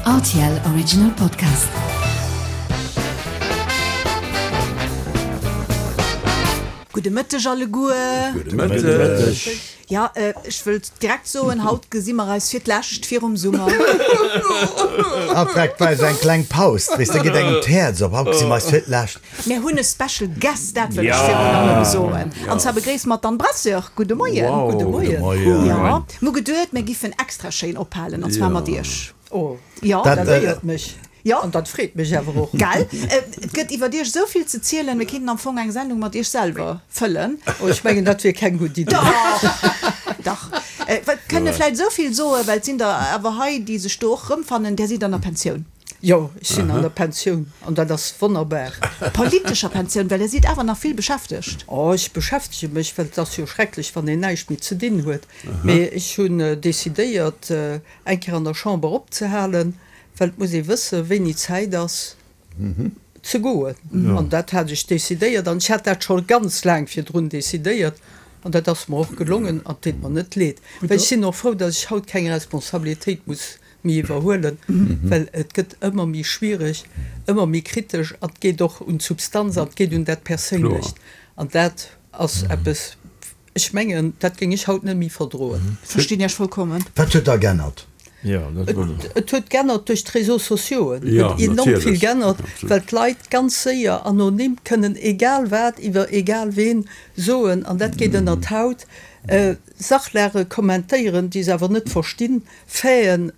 Rtl Original Podcast. Gudde Mëtteg alleguer. Gudde Mëtteg. Jo, ech wëll direkt soen, haut gesi mer eis fir d'lescht virum Summer. Haut direkt weis eng kleng Paus, weess de, geet engem d'Häerz op. Haut gesi mer eis fir d'lescht. Mir hunn e Special Guest, dat wëll ech virun allem soen. An zwar begréisse mer d'Anne Brasseur. Gudde Moien. Gudde Moien. Jo, mir hu geduet, mir giffen extra schéin ophalen, an zwar mat iech. Oh, Jo. dat éiert mech. Jo. An dat freet mech awer och. Gell? Et gëtt iwwer Iech esou vill ze zielen, mir kéinten am Fong eng Sendung mat Iech selwer fëllen. Oh, ech mengen, dat wier keng gutt Iddi. Dach! Dach. Et kënne vläicht esou vill soen, well et sinn der awer hei, déi sech do och erëmfannen, Där sidd an der Pensioun. Jo, ech sinn an der Pensioun an dat ass wonnerbar. Politescher Pensioun, well Der sidd awer nach vill beschäftegt. Oh, ech beschäftege mech, well et ass jo schrecklech, wann een näischt méi ze dinn huet. Mee ech hunn decidéiert, eng Kéier an der Chamber opzehalen, well et muss ee wëssen, wéini Zäit ass ze goen. An dat hat ech decidéiert an ech hat dat scho ganz laang virdrun decidéiert an dat ass mer och gelongen an et deet mer net leed, well ech sinn och frou, datt ech haut keng Responsabilitéit muss méi iwwerhuelen, well et gëtt ëmmer méi schwiereg, ëmmer méi kritesch an et geet och un d'Substanz an et geet un dat Perséinlecht an dat ass eppes, Ech mengen, dat géing ech haut net méi verdroen. Verstinn Iech vollkommen. Wat huet da g'ännert? Et huet g'ännert duerch d'Réseaux sociaux. Et huet enorm vill g'ännert, well d'Leit ganz séier anonym kënnen egal wat iwwer egal ween soen an dat geet ënner d'Haut. Sachlage kommentéieren, déi se awer net verstinn, Faiten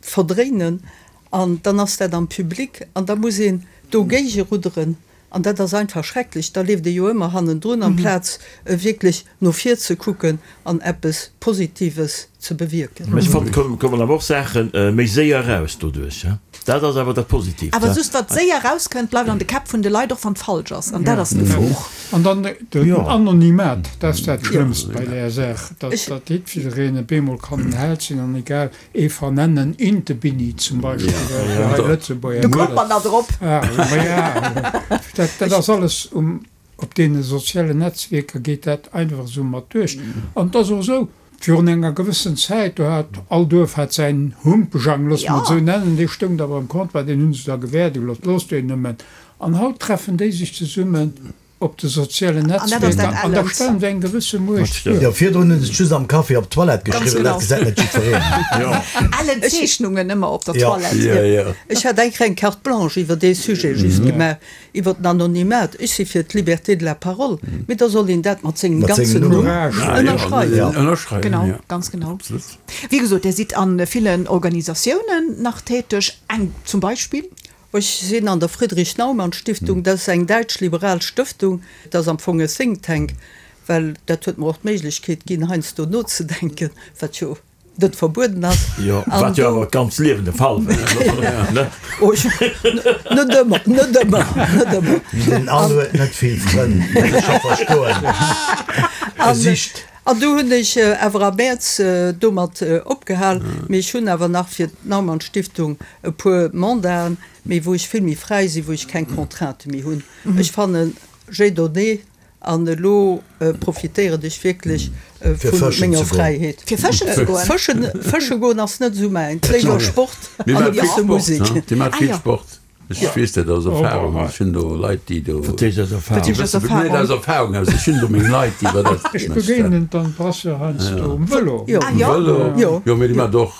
verdréinen an dann ass dat am Public an da muss een dogéige rudderen. An dat ass einfach schrecklech. Da leeft ee jo ëmmer hannendrun, amplaz wierklech no vir ze kucken an eppes Positives ze bewierken. Mä ech fannen, et kommen awer och Saache méi séier eraus doduerch. Dat ass awer dat Positiivt. Awer just wat séier erauskënnt, bleift an de Käpp vun de Leit, och wann et falsch ass. An dat ass d'Gefor. An dann den Anonymat, dat ass dat Schlëmmst bei där Saach, datt jiddwereen op eemol kann en Held sinn an egal Ee vernennen Intebinni zum Beispill, fir hei Lëtzebuerger. Do kommt mer nach drop. Dat, dat ass alles um, op deene sozialen Netzwierker geet dat einfach esou mat duerch. An et ass och esou, virun enger gewëssen Zäit, do hat all Duerf hat säin Humpejang, loosse mer et esou nennen, dee stoung da beim Comptoir, deen hu se da gewäerde gelooss, loosst deen nëmmen. An haut treffen déi sech zesummen Op de sozialen Netzwierker an da stellen se eng gewësse Muecht duer. Jo, virdrun hunn se et just am Café op d'Toilette geschriwwen, dat gesäit net jiddwereen. Ellen Zeechnungen ëmmer op der Toilette. Ech hat eng kleng Carte blanche iwwer dee Sujet just gemaach, iwwer den Anonymat. Ech si fir d'Liberté de la parole, mee da soll een dat mat sengem ganzen Numm ënnerschreiwen. Genau, ganz genau. Wéi gesot, Dir sidd a villen Organisatiounen nach täteg, eng zum Beispill? Ech sinn an der Friedrich-Naumann-Stiftung, dat ass eng däitsch-liberal Stëftung. Dat ass am Fong e Think Tank, well dat huet mer och d'Méiglechkeet ginn, heiansdo nozedenken, wat jo net verbueden ass. Jo, wat jo awer d'ganzt Liewen de Fall war, ne? Net ëmmer, net ëmmer, net ëmmer. Den Anne huet net vill Frënn, dat ech scho verstoen. E sicht. An du hunn ech awer am Mäerz domat opgehal. Mee ech hunn awer nach fir d'Naumann-Stiftung e puer Mandaten, mee wou ech vill méi fräi sinn, wou ech keng Contraintë méi hunn. Ech fannen, j'ai donné an elo profitéieren ech wierklech vu menger Fräiheet. Fir fëschen ze goen? Fëschen, fësche goen ass net esou mäint. Léiwer Sport an e bësse Musek. Dir maacht vill Sport. Ech weess dat aus Erfahrung. Ech hunn do Leit, déi do. Wat heescht aus Erfahrung? Wat heescht aus Erfahrung? Net aus Erfahrung aus, ech hunn do meng Leit, déi iwwer dat. Ech begéinen d'Anne Brasseur heiansdo um Vëlo. Um Vëlo, jo, mee déi maacht och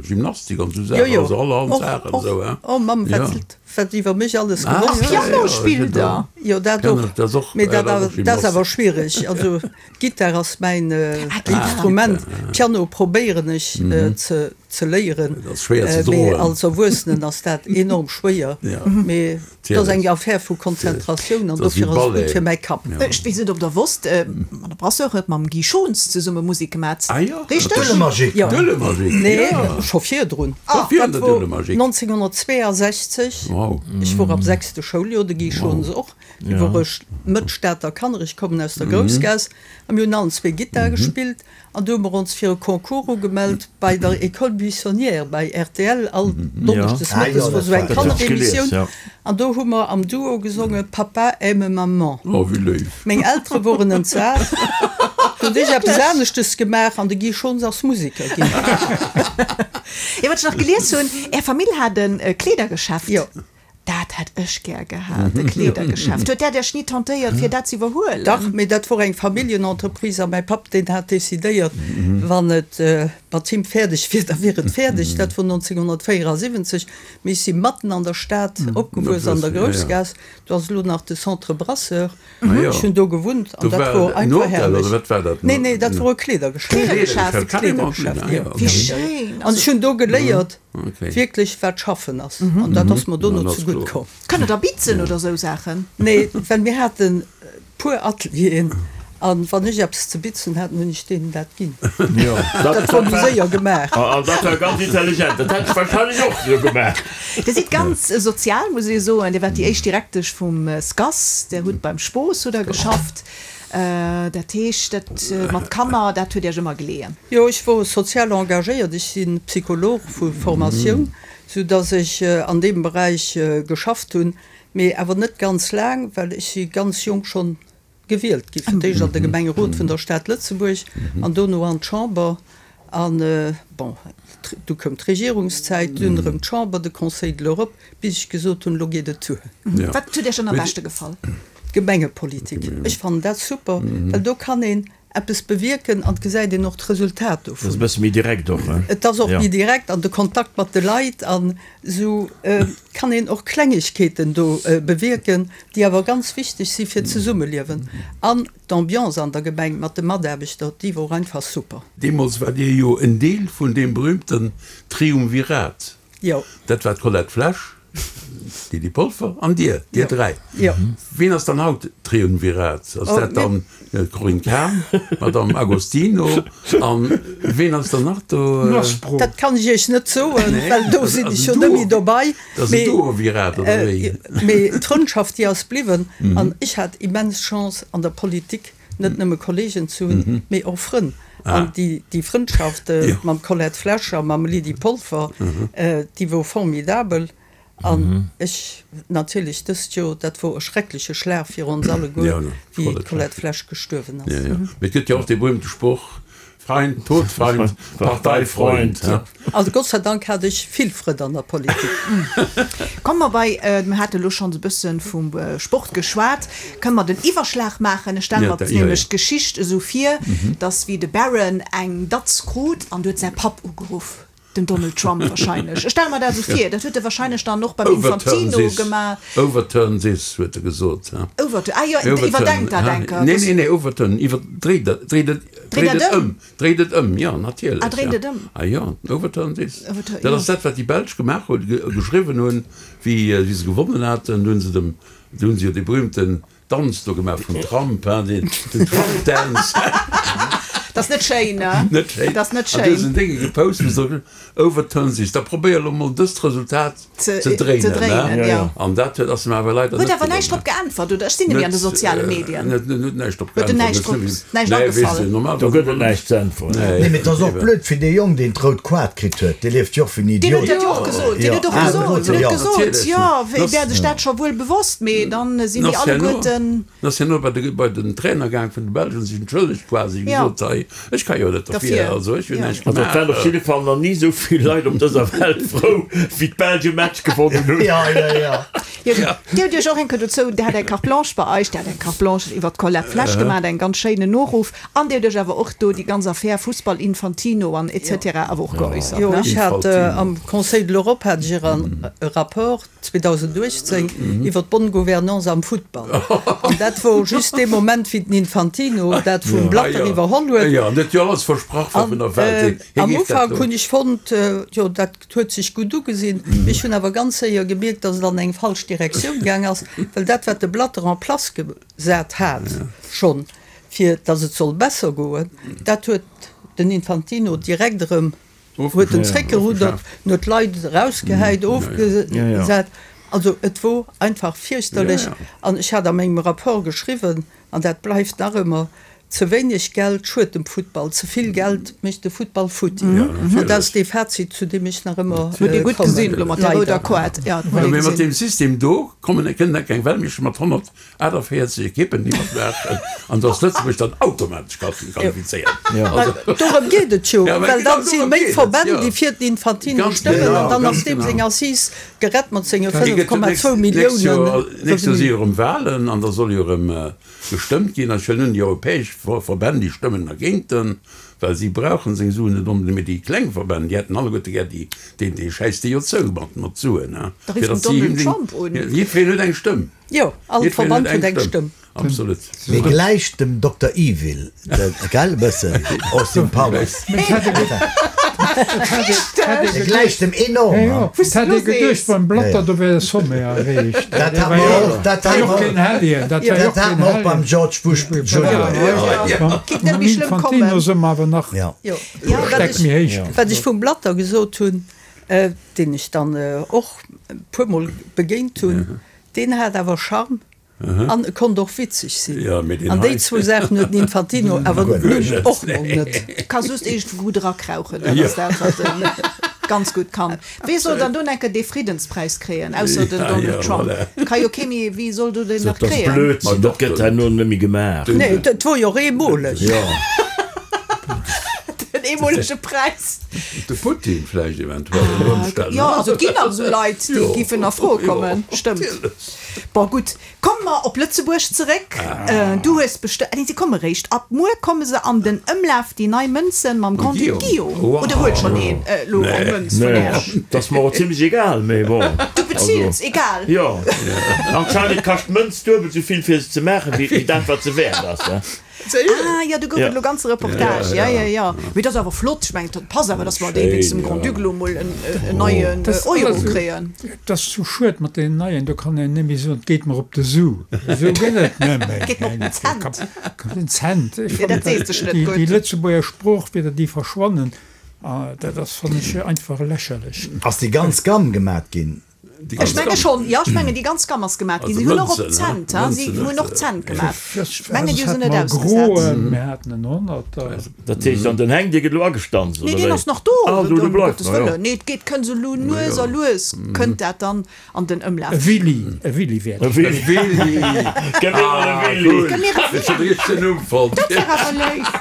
Gymnastik an esou Saachen, also allerhand Saachen esou, hein. Oh Mamm, wat, wat iwwer mech alles gewosst gëtt. Piano spillt der? Jo, dat och, mee dat ass awer schwiereg. Also d'Gittar ass mäin Instrument, Piano probéieren ech ze. ze léieren, mee als Erwuessenen ass dat enorm schwéier, mee et ass eng Affaire vu Konzentratioun an dofir ass et gutt fir mäi Kapp. Ech weess net ob der wosst, d'Madame Brasseur huet mam Guy Schons zesumme Musek gemat, richteg? Dulle-Magic! Nee, scho virdrun, dat wor 1962, ech wor am sechste Schouljoer, de Guy Schons och, du wor ech Mëtt Stater Kanner, ech kommen aus der Groussgaass, a mir hunn allen zwee Gittar gespillt. An do hu mer ons fir e Concours ugemellt bei der École buissonnière bei rtl. All Donneschdes mëttes wor sou eng Kanneremissioun. An do hu mer am Duo gesonge Papa aime maman. Oh, wéi léif! Meng Eltere woren entsat. Hunn ech eppes aneschtes gemaach an de Guy Schons ass Museker ginn. Jo, wat ech nach gelies hunn, Är Famill hat e Kleedergeschäft. Jo. Dat hätt ech gär gehat, e Kleedergeschäft. Huet dat Iech ni tentéiert, fir dat ze iwwerhuelen? Dach, mee dat wor eng Familljenentreprise a mäi Papp, deen hat decidéiert, wann et mat him fäerdeg wier, da wier et fäerdeg. Dat wor 1974. Mee ech si matten an der Stad opgewuess, an der Groussgaass. Do ass elo nach de Centre Brasseur. Ech hunn do gewunnt an dat wor einfach herrlech. Nee, nee, dat wor e Kleedergeschäft. Kleedergeschäft, jo. Wéi schéin! An ech hunn do geléiert, wierklech wat schaffen ass. An dat ass mer dono zegutt komm. Kënnt der da bitzen oder esou Saachen? Nee, well mir haten puer Atelieren an wann ech eppes ze bitzen hat, hunn ech deenen dat ginn. Dat wor méi séier gemaach. An dat war ganz intelligent. Dat hätt ech wahrscheinlech och esou gemaach. Dir sidd ganz sozial, muss ee soen. Dir waart déi éischt Direktesch vum SCAS, Dir hutt beim Spos hutt Der geschafft. Dat heescht, dat mat Kanner, dat huet Iech ëmmer geleeën? Jo, ech wor sozial engagéiert. Ech si Psycholog vu Formatioun, sou datt ech an deem Beräich geschafft hunn. Mee awer net ganz laang, well ech si ganz jonk schonn gewielt gi fir d'éischt an de Gemengerot vun der Stad Lëtzebuerg an dono an d'Chamber. An, bon, du koum d'Regierungszäit, dunn erëm d'Chamber, de Conseil de l'Europe, bis ech gesot hunn, elo geet et duer. Wat huet Iech dann am beschte gefall? D'Gemengepolitik. Ech fannen dat super, well do kann een eppes bewierken an et gesäit een och d'Resultat dovun. Dat ass e bësse méi direkt och, ne? Et ass och méi direkt an de Kontakt mat de Leit an esou kann een och Klengegkeeten do bewierken, déi awer ganz wichteg si fir d'Zesummeliewen. An d'Ambiance an der Gemeng mat de Mataarbechter, déi wor einfach super. Deemools war Dir jo en Deel vun deem berühmten Triumvirat. Jo. Dat war d'Colette Flesch, d'Lydie Polfer an Dir, Dir dräi. Jo. Wien ass dann haut Triumvirat? Ass dat dann d'Corinne Cahen, d'Madame Agostino an wien ass dann nach do? Maspro. Dat kann ech Iech net soen, well do sinn ech jo net méi dobei. Dat ass en Duovirat, oder wéi? Mee d'Frëndschaft, déi ass bliwwen an ech hat immens Chance an der Politik net nëmme Kollegen ze hunn, mee och Frënn. An déi Frëndschaft mam Colette Flesch a mam Lydie Polfer, déi wor formidabel. An ech natierlech dëst Joer, dat wor e schreckleche Schlag fir ons alleguer, wéi d'Colette Flesch gestuerwen ass. Mee et gëtt jo och dee berühmte Sproch, Feind, Todfeind, Parteifreund. Also Gott sei Dank hat ech vill Frënn an der Politik. Komme mer bei, mir hate elo schonns e bësse vum Sport geschwat, kënne mer den Iwwerschlag maachen. Ech stelle mer nämlech d'Geschicht esou vir, datt wéi de Barron eng Datz krut an du huet säi Papp ugeruff, den Donald Trump wahrscheinlech, ech stelle mer dat esou vir, dat huet e wahrscheinlech dann och beim Infantino gemaach. Overturn this, huet e gesot. Overturn, ah jo, iwwerdenkt dat eng Kéier. Nee, nee, nee, overturn, iwwer, dréit dat, dréit et, dréit et ëm, dréit et ëm, jo, natierlech. Ah, dréint et ëm. Ah jo, overturn this. Dat ass dat, wat déi Belsch gemaach hunn, geschriwwen hunn, wéi se gewonnen haten, do hunn se dem, do hunn se jo dee berühmten Danz do gemaach vum Trump, hein, den Trump Dance. Dat ass net schéin, ne? Net schéin. Dat ass net schéin. An du hues en Dénge gepost, wou se overturn this. Da probéier elo mol dëst Resultat ze dréinen, ze dréinen, jo. An dat huet, ass em awer leider net gelongen. Huet awer näischt drop geäntwert, oder? Ech sinn net méi an de soziale Medien. Net, net, huet näischt drop geäntwert. Huet en näischt drop, näischt agefall. Do gëtt et näischt ze äntweren. Nee, mee et ass och blöd fir dee Jong, deen d'rout Koart kritt huet. Dee lieft jo och wéi en Deen Idiot. huet dat jo och gesot. Deen huet och gesot, deen huet gesot, jo, hie wär sech dat scho wuel bewosst, mee dann sinn déi alleguerten. En ass herno bei de, bei den Trainer gaang vun de Belschen, sech entschëllegt quasi, gesot, hei, ech ka jo net derfir, also ech hunn näischt Also et waren op gemaach. jidde Fall nach ni esou vill Leit op dëser Welt frou, wéi d'Belsch e Match gewonnen hunn. Jo, jo, jo. Jo, Dir hutt Iech och eng Kéier dozou, Dir hat eng Carte blanche bei eis, Dir hat eng Carte blanche iwwert d'Colette Flesch gemaach, eng ganz schéinen Noruff. An Dir hutt Iech awer och do déi ganz Affär Fussball, Infantino an et cetera awer och geäussert, Jo, ne? ech hat am Conseil de l'Europe hat ech e Rapport 2018 iwwer d'bonne gouvernance am Futtball. An dat wor just dee Moment, wéi den Infantino dat vum Blatter iwwerholl huet. Jo, an huet jo alles versprach wat vun der Welt. An am Ufank hunn ech fonnt, jo dat huet sech gutt ugesinn. Mee ech hunn awer ganz séier gemierkt, datt et an eng falsch Direktioun gaang ass, well dat wat de Blatter en place gesat hat schonn, fir datt et soll besser goen, dat huet den Infantino direkt erëm huet en zréckgeruddert, en huet d'Leit erausgehäit, ofgesat. Also et wor einfach fierchterlech. An ech hat a mengem Rapport geschriwwen, an dat bleift nach ëmmer. Ze wéineg Geld schued dem Futtball, ze vill Geld mécht de Futtball futti. An dat ass dee Fazit, zu deem ech nach ëmmer kommen, leider. Mee mat deem System do kommen, kënnen da keng Weltmeeschter mat 148 Ekippen déi matmaachen, an do ass Lëtzebuerg dann automatesch qualifizéiert. Dorëm geet et jo, well dann si méi Verbänn, déi fir den Infantino stëmmen, an dann ass deem seng Assise gerett mat senge 5,2 Milliounen. D'nächst Joer si jo erëm Walen an da soll jo erëm Gestëmmt ginn. Ech huelen un, déi europäesch Verbänn, déi stëmmen dergéint, well si brauchen seng Suen net onbedéngt, mee déi kleng Verbänn, déi hätten alleguerte gär déi, deen, dee schäisst déi jo zou mat, mat Suen, Da fir rifft den datt si him Donald Trump un. Jiddwereen huet eng Stëmm. Jo, all Jiddwereen Verband huet eng Stëmm. Absolut. Mee gläicht dem Dokter Evil, gell, e bëssen, Austin Powers. E gläicht em enorm, ha? Et hätt ee geduecht, beim Blatter do wär de Sommet erreecht. Dat hat mer och, dat hat mer, dat hat mer och beim George Bush Junior. Kéint net méi schlëmm kommen. Infantino si mer awer nach Ja. Jo, Ja, wat Steck ech, méi héich. wat ech vum Blatter gesot hunn, deen ech dann och e puermol begéint hunn, deen hat awer Charme. An e konnt och witzeg sinn. An déi zwou Saachen huet den Infantino awer nun och mol net. Ka just iergendwou gutt erakrauchen, dat ass dat, wat e ganz gutt kann. Wee soll dann do enker dee Friddenspräis kréien, ausser den Donald Trump? Ka jo kee méi, wie soll do deen nach Dat ass kréien? Blödsinn, dat gëtt herno net méi gemaach. Nee, dat wor jo och eemoleg. Den eemolege Präis. De Putin vläicht eventuell ënner Ëmstänn. Jo, also et ginn nach esou Leit, déi giffen a Fro kommen, stëmmt. Bon, gutt, komme mer op Lëtzebuerg zeréck. Du hues bestë-, nee, se komme réischt ab muer komme se an den Ëmlaf, déi nei Mënzen mam Grand-Duc Guillaume. Oder huet schonn een elo eng Mënz vun Iech? Nee, dat ass mer och zimlech egal, mee bon. Du bezills, egal. Jo, anscheinend kascht d'Mënz duebel esou vill fir se ze maachen, wéi dat wat se wäert ass. Ah jo, do gouf et elo ganze Reportage. Ja, ja, ja. Mee dat ass awer flott. Ech mengen, dat passt awer, datt mer dee wéinst dem Grand-Duc elo mol en neien Euro kréien. Et ass sou schued mat deenen neien, do kann een net méi soen, et geet mer op de Su. Esou gëtt et net méi. Geet mer op den Cent. Den Cent. Ech Jo, dat fannen, seet sech net déi gutt. Lëtzebuerger Sproochwierder, déi verschwannen, dat ass, fannen ech, einfach lächerlech. Ass déi ganz Gamm gemat ginn? Ech menge schonn, jo, ech mengen déi ganz Gamm ass gemat ginn. Si hunn och op Cent, ha, si hunn och Cent gemat. Ech mengen déi hu se net ausgesat. Mir haten en Honnerter. Dat heescht an den Heng, dee gëtt elo agestanzt, Nee, oder deen wéi? ass nach do, Ah, do, do ëm bleift Gottes nach, jo. Wëllen. Nee, et geet, kënnt esou lu nues a lues kënnt dat dann an den Ëmlaf. E Willy, e Willy wäert. E Willy. Gëff mir mol e Willy. Gëff mir e Ech hunn de richtegen Numm fonnt. Dat wär awer léif.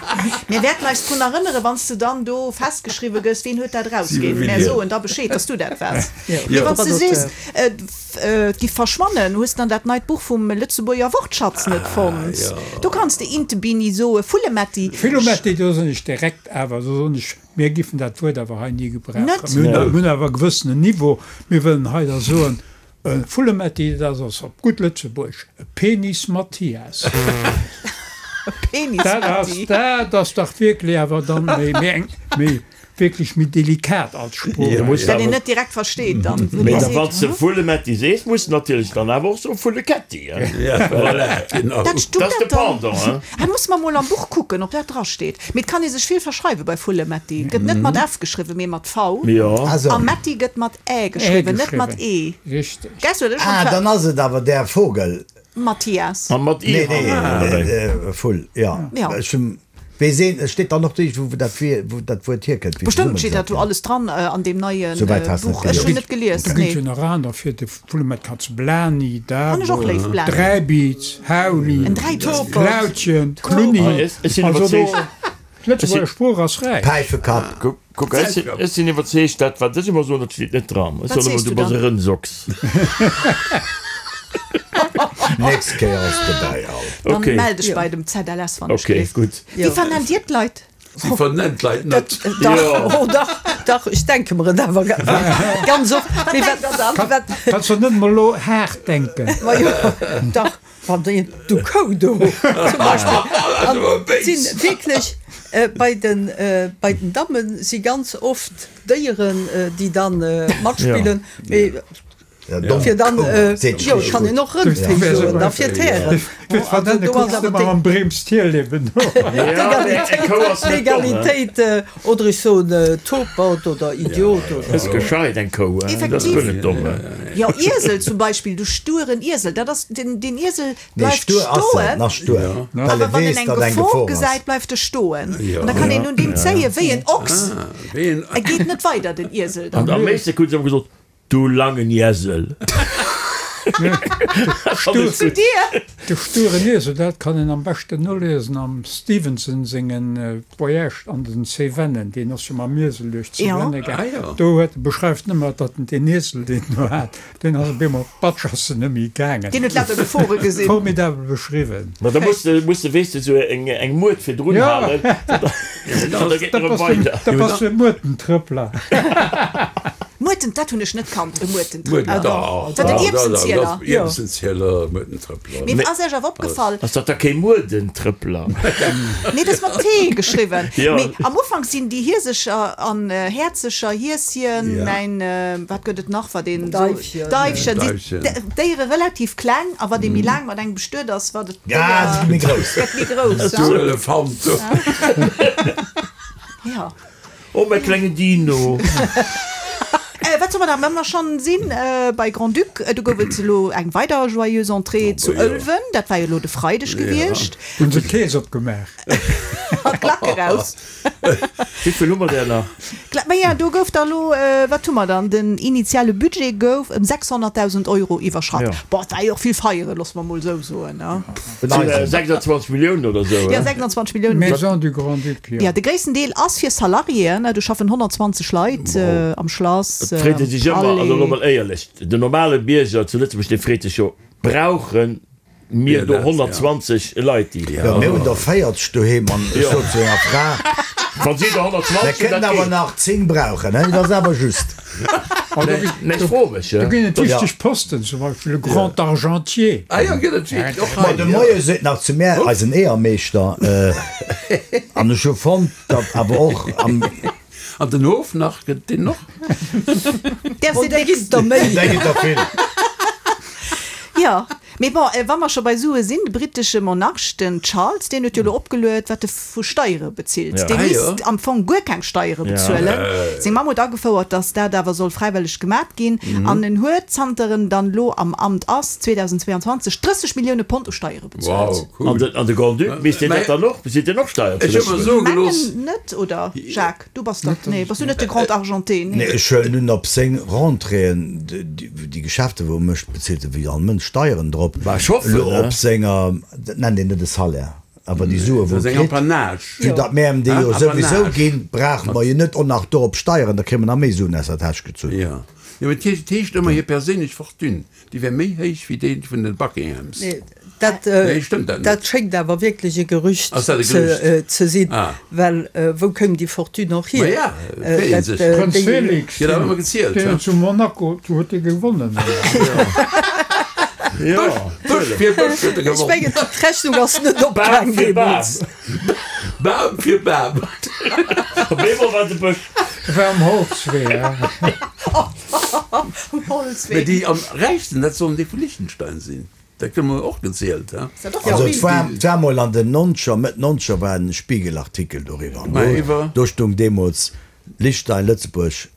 Mir wäerten eis drun erënneren, wann s de dann do festgeschriwwe gëss, wien huet dat erausginn. Mär soen da Bescheed, dass du dat waars. Mee wann s de sees, et giff verschwannen, hues de dann dat neit Buch vum Lëtzebuerger Wortschatz net fonnt? Do kanns de Intebini soe, Vullemetti. Vullemetti, do soen ech direkt awer, do soen ech, mir giffen dat Wuert awer hei ni gebrauchen. Net? Mir hunn awer e gewëssenen Niveau. Mir wëllen hei da soen, e Vullemetti, dat ass op gutt Lëtzebuergesch e Penis Mathias. E Penis Matti. Dat ass dach wierklech awer dann méi eng, méi. Wierklech méi delikat als Sprooch. Dat een net direkt versteet dann. Mee da wann s de Vullemetti sees, muss de natierlech dann awer och soe Vulleketti, hein? Voilà, genau. Dat stung Dat ass de dat dann. Pendant, hein? Ah, musse mer mol am Buch kucken, ob dat drasteet. Mee et kann ee sech vill verschreiwe bei Vullemetti. Gëtt net mat F geschriwwen, mee mat V. Jo. A Metti gëtt mat Ä geschriwwen, net mat E. Richteg. Gess, huet ech schonn Ah, ver. dann ass et awer där Vogel. Mathias. A mat I Nee, nee, hannen, oder wéi? Vull, jo. Jo. Ech hunn. Weess een, et steet dann och do, wou dat wou dat Wuert hierkënnt, wéi Bestëmmt steet dat zesummegesat do ginn. alles dran an deem neie Souwäit has Buch. net Ech hunn gelies. net gelies, Do ginn nee. et jo nach aner fir de Vullemet, Katz Blani, Fann ech och Dabo, léif, Blani. Dräibiz, Hauli, En Dräibiz. Klautjen, Klunni. Ah, ech sinn Also do, iwwerzeegt, d'Lëtzebuerger Sprooch ass räich. Päifekapp. Kuck, ech sinn, ech sinn iwwerzeegt, dat wat ech ëmmer soen, dat steet net dran. Ech Wat soen ëmmer, sees du du bass e dann? Rënsochs. Nächst Kéier ass dobäi all. Dann Okay. mell dech bei dem ZLS, wann ech Okay, gleef. gutt. Wéi vernennt Dir d'Leit? Si vernennt d'Leit net. Dach, oh dach, dach, ech denke mer et awer ganz oft. Mee Wat denkt der dann? wat, Kanns der net mol elo haart denken? ma jo, dach, wann déi, du Kou do, zum Beispill. An et sinn wierklech bei den, bei den Damme si ganz oft Déieren, déi dann matspillen. Mee. Fir dann, jo, et kann een och Rëndfleesch soen, da fir d'Hären. D'Egalitéit, oder ech soen Topert oder Idiot oder. Ass gescheit eng Kou, dat ass guer net domm. Jo, Iesel zum Beispill, du stueren Iesel, dat ass, den Iesel bleift stoen, awer wann en eng Gefor gesäit, bleift e stoen. An da kann een un deem zéien, wéi en Ochs. E geet net weider, den Iesel dann. An am meeschte hunn se ëmmer gesot, Du langen Iesel! Zu dir! De sturen Iesel, dat kann een am beschten noliesen am Stevenson sengen Voyage an den Cevennen. Deen ass jo mam Iesel duerch d'Cevenne gaang. Do huet e beschreift nëmmer, datt en deen Iesel, deen en do hat, deen ass op eemol op d'Batsch ass en net méi gaangen. Deen huet lauter Gefore gesinn. Formidabel beschriwwen. Ma da muss de, muss de, weess de, sou eng, eng Muert virdrun halen, an da geet en erëm weider. Da bass du e Muertentrëppler. Muerten, dat hunn ech net kannt, e Muertentrëppler. Dach, Dat en Ierbsenzieler? Ierbsenzieler, Muertentrëppler. Mee ass Iech awer opgefall. Ass dat da kee Muerdentrëppler? Nee, dat ass mat T geschriwwen. Jo. Mee am Ufank sinn déi Hiesecher an Häerzecher, Hieschen, mäin, wat gëtt et nach, wat een esou, Daifchen. Daifchen, sinn d'Déiere relativ kleng a wat ee méi laang mat engem bestuet ass, wat et Déier gëtt méi grouss. Gëtt méi grouss, Du Elefant, du. Jo. Oh mäi klengen Dino! Wat soll mer nach, wa mer schonn sinn bei Grand-Duc, do gouf et elo eng weider Joyeuse Entrée zu Ëlwen, dat war jo elo de Freideg gewiescht. Hunn se d'Kees opgemaach. An d'Klack eraus. Wéi vill hu mer där nach? Maja, do gouf da elo, wat hu mer dann, den initiale Budget gouf ëm 600.000 Euro iwwerschratt. Bon, et war jo och vill Feieren, loosse mer mol esou soen, ne? Et sinn 26 Milliounen oder esou, Jo, 26 Milliounen. Maison du Grand-Duc, jo. Jo, de gréissten Deel ass fir Salariéen. Do schaffen 120 Leit am Schlass, Et freet ee sech ëmmer, also elo mol éierlech, den normale Bierger zu Lëtzebuerg, dee freet sech jo, brauche mir do 120 Leit, déi. Jo, mir hunn der 40 doheem an ech sot zu enger Fra, Wa si der 120 Mir hunn, kënnen dat awer geet. nach 10 brauchen, he, dat ass awer just. Nee, ech froe mech. Do ginn et wichteg Posten, zum Beispill e Grand Argentier. Ah jo, gëtt et wierklech och Ma hei, de jo. Moie seet nach zu mär, eisen Eeërmeeschter, an ech hu fonnt, datt awer och am. An den Hof nach, gëtt et deen och? Där Oh, sinn där ginn et der méi. Där ginn der vill. Jo, mee bon, wa mer scho bei Sue sinn, de brittesche Monarch, den Charles, deen huet jo elo opgeluet, wat e vu Steiere bezilt. Dee misst am Fong guer keng Steiere bezuelen. Seng Mamm huet agefouert, datt dat awer soll fräiwëlleg gemat ginn. An en huet, zanter en dann elo am Amt ass, 2022, 30 Millioune Pond u Steiere bezuelt. Wow, cool. An de Grand-Duc, misst deen dat dann och, bezilt deen och Steieren zu Ech hu mer Lëtzebuerg? soe gelooss. Mengen net, oder Jacques? Du bass dach, nee, bass du net de Grand Argenté? Nee, ech huelen un, op seng Rentréeën, déi Geschäfte wou e mécht, bezilt e wéi all Mënsch Steieren drop. Bah, ech hoffen, Elo ne? op senger, dat nennt een net e Salaire, awer déi Sue wou e Seng kritt, Apanage. vue datt mär em déi jo souwisou Apanage. ginn, brauche mer jo net och nach dorop Steieren, da kréie mer nach méi Suen aus der Täsch gezunn. Jo, jo, mee et heescht ëmmer, hir perséinlech Fortune, Déi wär méi héich wéi déi vun den Buckinghams. Nee, dat, Nee, stëmmt dat net? dat schéngt awer wierklech e Gerücht Ass dat e Gerücht? ze sinn, Ah. well wou koum déi Fortune och hier? Ma ja, freet een sech. Prënz Felix, Gëtt awer ëmmer gezielt, deen he? huet zu Monaco, do huet dee gewonnen. Jo, Bësch fir Bësch huet e Ech gewonnen. mengen, d'Rechnung ass net Bam opgaang fir Bam. deemools. Bam fir Bam. Op eemol war et e Bësch. War am Holzwee, he? Mä déi am räichsten, dat sollen déi vu Liechtenstein sinn. Dat gëtt emol och gezielt, he? Also et war, et war mol an den Nonzeger, Mëtt Nonzeger war en Spiegelartikel doriwwer. An do, do stung deemools Liechtenstein, Lëtzebuerg,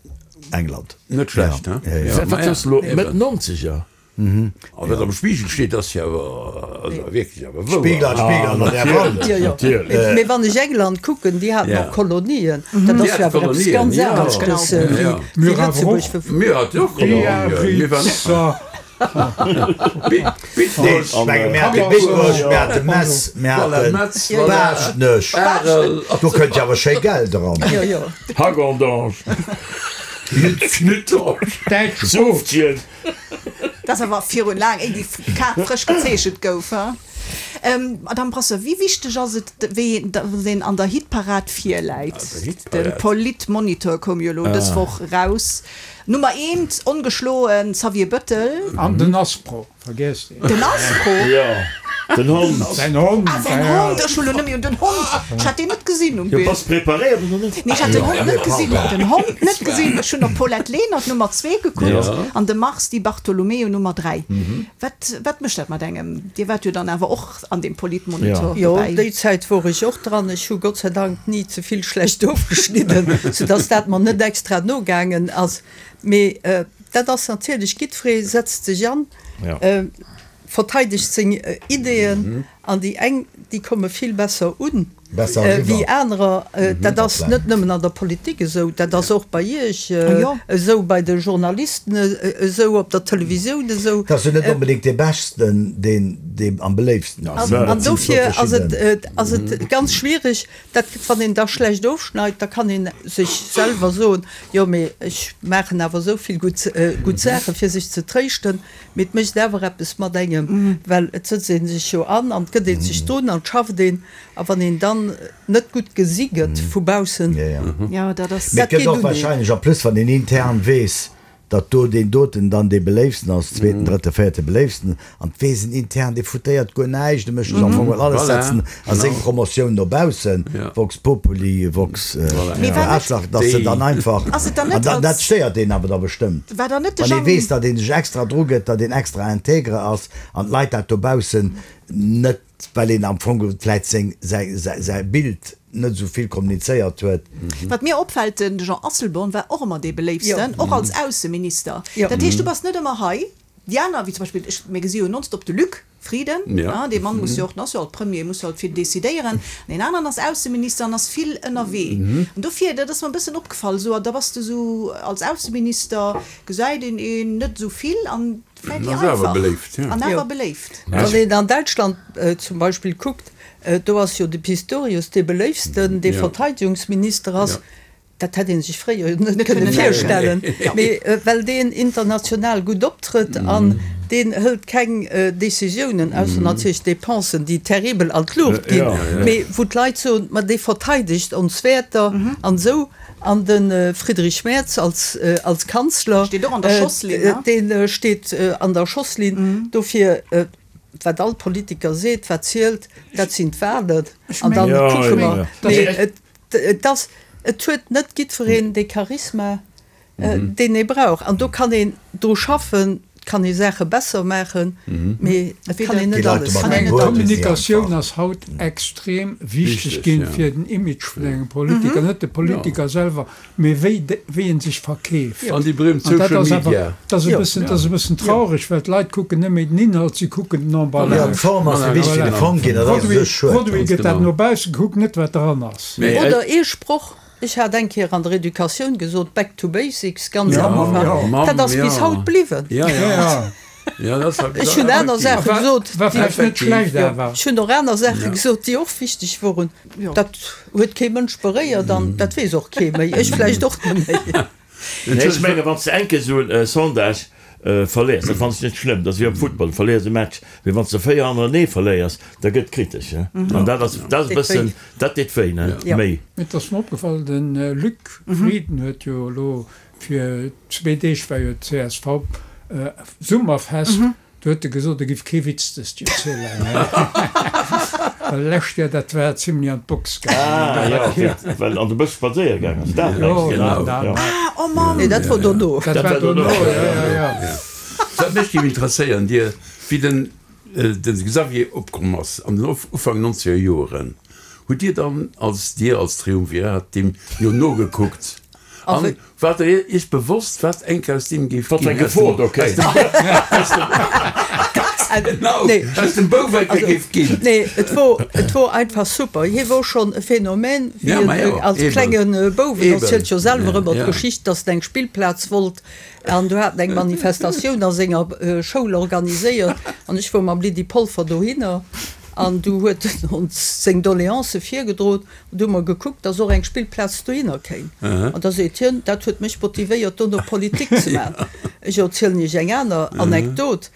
England. Net schlecht, he? Ja, ja. Wat soss elo? Mëtt Nonzeger? A wat am Spiegel steet, ass jo awer, also wierklech awer wouer. Spiegel an Spiegel an der Wand. Jo, jo. Natierlech. Mee wann ech England kucken, déi haten och Kolonien. Dat Déi ass jo hate awer eppes Kolonien, ganz jo. aneschters wéi Jo. Mir awer Lëtzebuerg. och. Mir haten och Kolonien. Mir waren och. Nee, Bitburg. ech menge mir hate Bitburg, mir hate Metz, mir Voilà, hate Metz, voilà. Baaschtnech. Arel. Do kënnt jo awer schéi Geld eran. Jo, jo. Hagondange. Knuddorf. Däitsch Softchen. Dat ass awer virun laang, éi déi Kaart frësch gezeechent gouf, he? Madame Brasseur, wéi wichteg ass et, wéi datt een an der Hitparad virläit? De Politmonitor koum jo elo dës Woch eraus. Nummer eent, ongeschloen, Xavier Bëttel. An den Aspro, vergiesst een. Den Aspro? Jo. Den Hond. Säin Hond. Ah, säin Hond! Ech hu lo nëmme un den Hond. Ech hat deen net gesinn um Jo, Bild. bass preparéiert oder net? Nee, ech hat den Hond net gesinn. Den Hond net gesinn. Ech hunn op Paulette Lenert Nummer zwee gekuckt an de Mars Di Bartolomeo Nummer 3. Wat, wat mécht dat mat engem? Dir waart jo dann awer och an deem Politmonitor Jo, dobäi. déi Zäit wor ech och dran. Ech hu Gott sei Dank ni ze vill schlecht ofgeschnidden, soudass dat mer net extra nogaangen ass. Mee dat ass natierlech, jiddweree setzt sech an, verteidegt seng Ideeën an déi eng, déi komme vill besser un wéi anerer. Dat ass net nëmmen an der Politik esou, dat ass och bei Iech esou, bei de Journalisten esou, op der Televisioun esou. Et ass jo net onbedéngt dee Beschten, deen dee am beléiftsten ass. An dofir ass et ass et ganz schwierig, dat wann een da schlecht ofschneit, da kann ee sech selwer soen, jo mee ech maachen awer esou vill gutt gutt Saachen, fir sech ze tréischten. Mee et mécht awer eppes mat engem, well et sëtzt ee sech jo an an et gëtt ee sech drun an et schafft een. A wann een dann net gutt gesi gëtt vu baussen, dat Mee et geet gëtt och un een. wahrscheinlech en plus, wann een intern weess, datt do deen doten dann dee beléiftsten ass, zweeten, drëtte, véierte beléiftsten, an et weess een intern, dee foutéiert guer näischt, e mécht sech am Fong well alles setzen a seng Promotioun no baussen, vox populi, vox Aarschlach, datt se dann einfach, an dann, dat stéiert een awer da bestëmmt, wann ee weess, datt ee sech extra dru gëtt, datt een extra intègre ass an d'Leit dat dobaussen net. Well een am Fong vläit seng, säi, säi Bild net esou vill kommunizéiert huet. Wat mir opfält, de Jean Asselborn war och ëmmer dee Beléiftsten, och als Ausseminister. Dat heescht, du bass net ëmmer hei. Déi aner, wéi zum Beispill, ech, mir gesi jo nonstop de Luc Frieden, dee Mann muss jo och, den ass jo alt Premier, muss jo alt vill decidéieren. An deen aneren ass Ausseminister an ass vill ënnerwee. An dofir, dat ass mer e bëssen opgefall, esou, da bass de esou als Ausseminister, gesäit een een net esou vill an Vläit déi einfach an awer beléift. Wann een an Däitschland zum Beispill kuckt, do ass jo de Pistorius dee beléiftsten, dee Verteidigungsminister ass. Dat hätt ee sech fréier jo net kënne virstellen, mee well deen international gutt optrëtt an deen hëlt keng Decisiounen, ausser natierlech Dépensen, déi terribel an d'Luucht ginn, mee wou d'Leit soen, ma dee verteidegt ons Wäerter an esou. An de Friedrich Merz als als Kanzler, Steet och an der Schosslinn, ne? dee steet an der Schosslinn. Dofir, wat all Politiker seet, wat zielt, dat sinn d'Wahlen. An dann kucke mer. Mee et et ass, et huet net jiddwereen dee Charisma, deen ee brauch. An do kann een dru schaffen, et kann ee Saache besser maachen, mee et kann een net alles. Ech mengen, d'Kommunikatioun ass haut extrem wichteg ginn fir den Image vun engem Politiker, net de Politiker selwer, mee wéi wéi en sech verkeeft. An déi berühmt An dat Social ass awer, Media. dat ass e bëssen, dat ass e bëssen traureg, well d'Leit kucken net méi den Inhalt, si kucken den Jo, Emballage. d'Form ass méi wichteg wéi de Fong ginn, dat ass u sech schued. Produit gëtt dat no bausse gekuckt, net wat dran ass. Oder ee Sproch, Ech hat eng Kéier an der Educatioun gesot, back to basics, ganz am Ufank. Dat ass bis haut bliwwen. Ech hunn aner Saache gesot, ech hunn och aner Saache gesot, déi och wichteg woren. Dat huet kee Mënsch beréiert an dat weess och kee méi, ech vläicht och net méi. Ech menge wann s de eng Kéier esou e Sondage verléiers, dat fannen ech net schlëmm, dat ass wéi am Futtball, du verléiers e Match, mee wann s de 4 hannerenee verléiers, da gëtt kritesch, an dat ass dat ass e bëssen, dat deet wéi, ne, méi. Et ass mer opgefall, de Luc Frieden huet jo elo fir zwee Deeg war jo d'CSV Summerfest, Do huet e gesot, e giff kee Witz dëst Joer zielen. Well lescht Joer, dat war zimlech an d'Box gaangen. Ah jo, well an de Bësch spadséiere gaang ass, dat mengs de? Genau. Ah, oh Mann! Nee, dat wor dono. Dat war dono, jo, jo, jo. Wat mech géif interesséieren, Dir, wéi den de Xavier opkomm ass an den Ufank nonzeger Joeren, hutt Dir dann als Dir als Triumvirat deem jo nogekuckt an Waart der Iech bewosst, wat enk aus deem géif ginn? Wat fir eng Gefor do kéim? Ganz genau, aus dem Bouf enke géif ginn. Nee, et wor, et wor einfach super. Hie wor schonn e Phänomen, wéi en als klenge Bouf, en erzielt jo selwer ëmmer d'Geschicht, datt en eng Spillplaz wollt an do hat en eng Manifestatioun a senger Schoul organiséiert an ech wor mam Lydie Polfer dohinner an du huet en ons seng Doleancë virgedroen. Du hu mer gekuckt, dass och eng Spillplaz dohinner kéim. An da seet hien, dat huet mech motivéiert, dono Politik ze maachen. Ech erzielen Iech eng aner Anekdot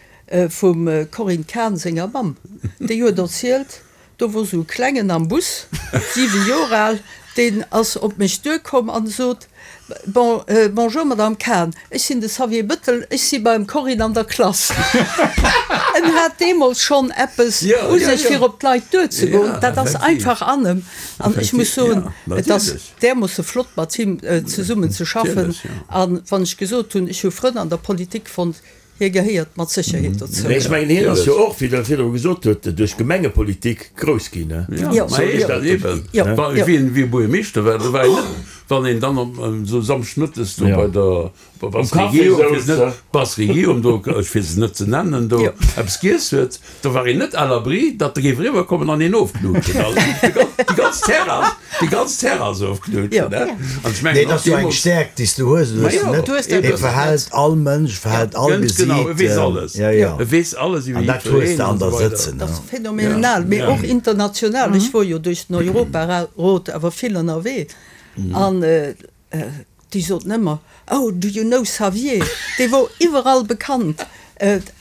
vum Corinne Cahen senger Mamm. Déi huet erzielt, do wor sou e Klengen am Bus, 7 Joer al, deen ass op mech duerkomm an sot, Bon, bonjour Madame Cahen, ech sinn de Xavier Bëttel, ech si beim Corinne an der Klass. Hien hat deemools schonn eppes u sech, fir op d'Leit duerzegoen. Dat ass einfach an em. An ech muss soen, et ass därmoosse flott, mat him zesummen ze schaffen. A wann ech gesot hunn, ech hu Frënn an der Politik fonnt, hie gehéiert mat Sécherheet dozou. Mee ech mengen, hien ass jo och, wéi Der virdru gesot hutt, duerch Gemengepolitik grouss ginn. Jo, eben. Wéi en Buergermeeschter war, do war een net, wann een dann esou samschdegmëttes do bei der Brasserie Guillaume do, ech fir se net ze nennen, do eppes giess huet, do war een net à l'abri, datt e géif eriwwerkommen an een ofknuutschen. Déi ganz Terrass, déi ganz Terrass ofknuutschen, ne? An ech mengen Nee, dat ass jo eng Stäerkt, déi s du hues oder hues du net. E verhält all Mënsch, verhält all Ganz genau, e weess alles. Ja, ja. E weess alles iwwer An dat hues de jiddwereen an an der esou weider. sëtzen, Dat ass phänomenal, mee och international. Ech wor jo duerch den Europarot awer vill ënnerwee an Déi soten ëmmer, Oh, do you know Xavier? Dee wor iwwerall bekannt.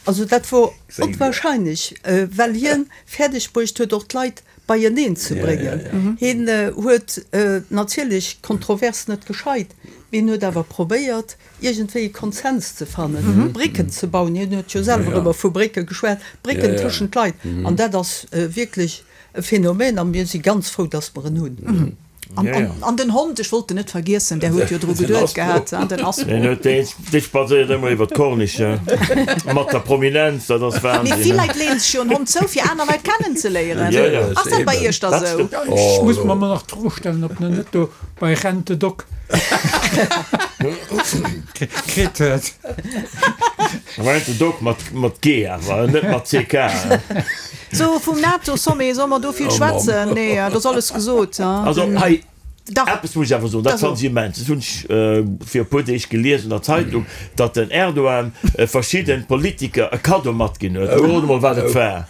Also dat wor onwahrscheinlech, well hien fäerdeg bruecht huet, och d'Leit beieneen ze bréngen. Hien huet natierlech d'Kontrovers net gescheit, mee hien huet awer probéiert, iergendwéi e Konsens ze fannen, Brécken ze bauen. Hien huet jo selwer ëmmer vu Brécke geschwat, Brécken tëschent d'Leit. An dat ass wierklech e Phänomen a mir si ganz frou, datt mer en hunn. An den Hond, ech wollt en net vergiessen, där huet jo dru geduet gehat, den Aspo. Deen huet, dee spadséiert ëmmer iwwer d'Corniche mat der Prominenz, dat ass Wahnsinn. Mee vill Leit leeën sech jo en Hond zou, fir aner Leit kennenzeléieren. Ass dat bei Iech da sou? Ech muss mer emol nach d'Fro stellen, ob en net do bei Rent a Dog kritt huet. Rent a Dog mat G awer, net mat CK. Sou, vum NATO-Sommet, solle mer do vill schwätzen? Nee, et ass alles gesot. Also hei, eppes muss ech awer soen, dat fand ech immens, dat hunn ech vir e puer Deeg gelies an der Zeitung, datt den Erdogan verschidde Politiker e Kaddo matginn huet. Elo rot emol, wat et war.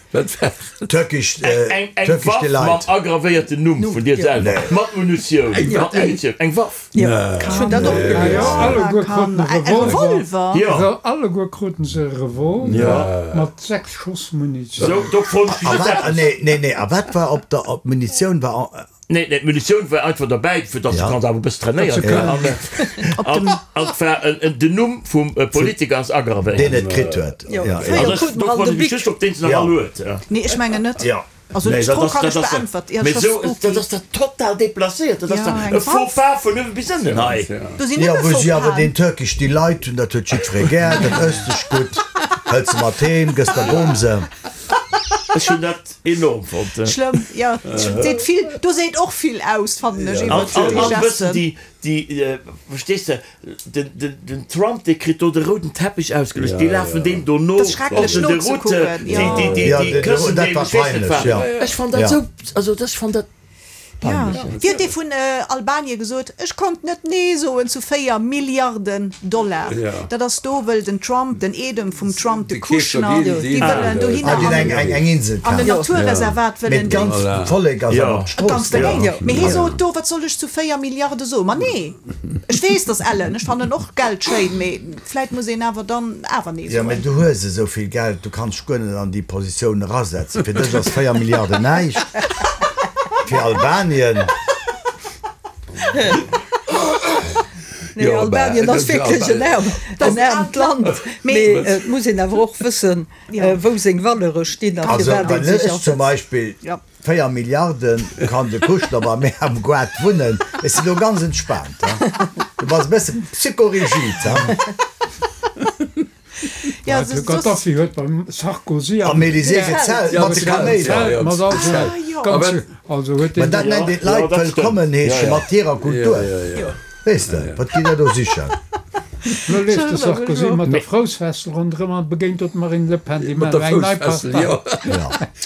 Turkish Eng Waff mam agravéierten Numm vun dir selwer, mat Munitioun, mat Munitioun, eng Waff. Ech hunn dat och gelies. Alleguer kruten e Revolver. Jo, alleguer kruten se e Revolver mat 6 Schoss Munitioun. Sou, do froen ech mech just eppes. Nee, nee, nee, a wat war op der, op d'Munitioun war? Nee, nee, d'Munitioun war einfach derbäi, fir datt se kanns awer e bësse trainéiert ginn. An, an et war en, den Numm vum Politiker ass agravéiert. Deen et kritt huet. Jo, fréier kruten mer all de Bic. Do froen ech mech just, ob deen se nach all huet. Nee, ech mengen net. Also Nee, d'Fro dat ass, kann dat ech ass, beäntwert. Ja, mee scho sou, dat spooky. ass dat total déplacéiert, dat ass Ja, da eng e Faux Waff. pas vun uewe bis ënnen hei. Do sinn Jo, nëmme wou si Faux awer Pasen. deen Turkish Delight hunn, dat huet jiddweree gär, dat ësst sech gutt, hëls se mat heem, gëss der Bomse. Ech hunn dat enorm fonnt. Schlëmm, jo, seet vill, do seet och vill aus, fannen ech, An, iwwer déi an, an wëssen Gesten. déi, déi, verstees de, den, den, den Trump, dee kritt do de rouden Teppich ausgeluecht, déi lafen deem do no Dat ass schrecklech op den Deroute, nozekucken, déi, jo. déi, déi, Ja, déi den, këssen dat deem, war ech weess net peinlech, wat. ja. Ech fann dat Ja. esou, also ech fann dat Ja. peinlech. Wéi huet dee vun Albanien gesot, ech konnt net Nee soen zu 4 Milliarden Dollar. Dat ass do, wëll den Trump, den Eedem vum Trump, de Kushner, déi wëllen dohinner Ah, déi an eng, eng, eng Insel an en kafen. Naturreservat Mee wëllen déi. d'ganzt Vollek ass awer op d'Strooss Ganz dergéint. gaangen. Mee hie sot do, wat soll ech zu 4 Milliarde soen? Ma nee! Ech weess, dass ellen, ech fannen och Geld schéin, mee vläit muss een awer dann awer nee Jo, mee soen. du hues esou vill Geld, du kanns dech guer net an déi Positioun erasetzen. Fir dech ass 4 Milliarden näischt, fir Albanien. Nee, Albanien ass wierklech en aarmt Land, mee et muss een awer och wëssen, wou seng Valeure stinn a Also firwat wann ee sech ech zum asetzt. Beispill 4 Milliarden kann de Kushner bei mär am Goart wunnen, ech sinn do ganz entspaant. Du bass e bësse psychorigid, ha? Ja, De Gaddafi huet beim Sarkozy am Elysée gezelt mat de Kaméiler. Mat all senge ganze, also huet Mä deen. dat nennt een d'Leit wëllkommen heeschen mat hirer Kultur. Weess de, wat gitt der do sichen? Lo leeft de Sarkozy mat der Froussfessel ronderëm an begéint do d'Marine Le Pen, déi maachen eng nei Partei.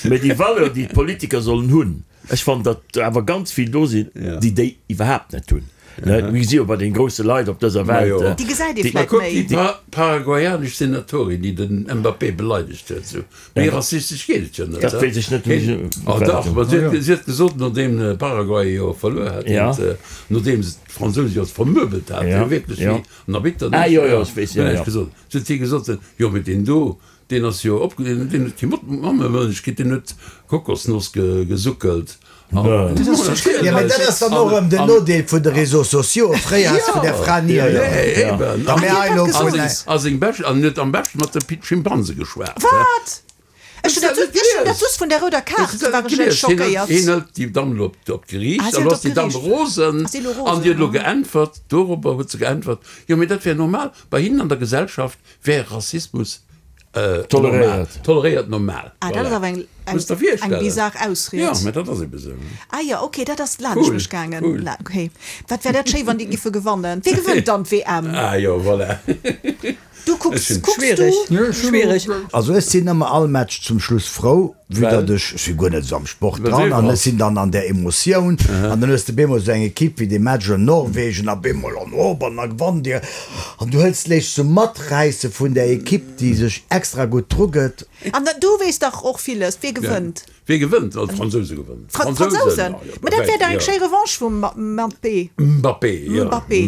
Mä déi Valeur, déi d'Politiker sollen hunn, ech fannen, datt awer ganz vill do sinn, déi déi iwwerhaapt net hunn. Mir gesi jo bei den grousse Leit op dëser Welt. Déi gesäit ee vläit Kuck méi. déi paraguayanesch Senatorin, déi den Mbappé beleidegt huet, sou méi rassistesch geet et jo net. Dat weess ech net. Oh dach, ma si huet gesot, nodeem Paraguay jo verluer hat, nodeem se d'Fransouse jo vermöbelt haten, jo wierklech wéi an Arbitter, huet si gesot, jo mee deen do, Deen ass jo op, deen huet kee Mammemëllech kritt, deen huet Kokosnoss gesuckelt. Jo, mee dat ass dann och erëm den Nodeel vun de Réseaux sociaux. Fréier has de vun där Fra ni héieren. Eben. Da mir hei elo vun. A seng bescht, an huet am beschten mat de Schimpanse geschwat. Wat? Ech hunn dat ech hunn dat just vun där rouder Kaart war ech elo schockéiert. Hien hëlt déi Damm elo op d'Geriicht Ah, si an hëlt elo ass op déi Damm d'Geriicht. rosen Ass si elo an déi rosen, huet elo ah. geäntwert, dorobber huet se geäntwert, jo mee dat wär normal, bei hinnen an der Gesellschaft wär Rassismus Toleréiert. normal, toleréiert normal. Ah, dat ass Voilà. awer eng eng Muss der eng virstellen. bizar Ausried. Jo, mä dat ass ebe sou. Ah jo, okay, dat ass laanscht Cool, mech gaangen. cool. La, okay. Wat wär dat schéi, wann déi giffe gewannen. Wie gewënnt dann d'WM? Ah jo, voilà. Du kucks, Ech hunn- kucks du? Schwiereg, schwiereg. Also ech sinn ëmmer all Match zum Schluss frou, vue Well? datt ech, ech si guer net esou am Sport Well dran du an ech iwwerall. sinn dann an där Emotioun an dann hues de bemol esou eng Equipe wéi dee Match an Norwegen a bemol an op an da gewannt dir an du hëls léichs sou maträisse vun där Equipe déi sech extra gutt drugëtt. An du weess dach och villes, wie gewënnt? Wie gewënnt? Oh, d'Fransouse gewënnen. D'Fransousen? Ma dat wär dach eng schéi Revanche vum Mbappé. Mbappé, jo. Mbappé.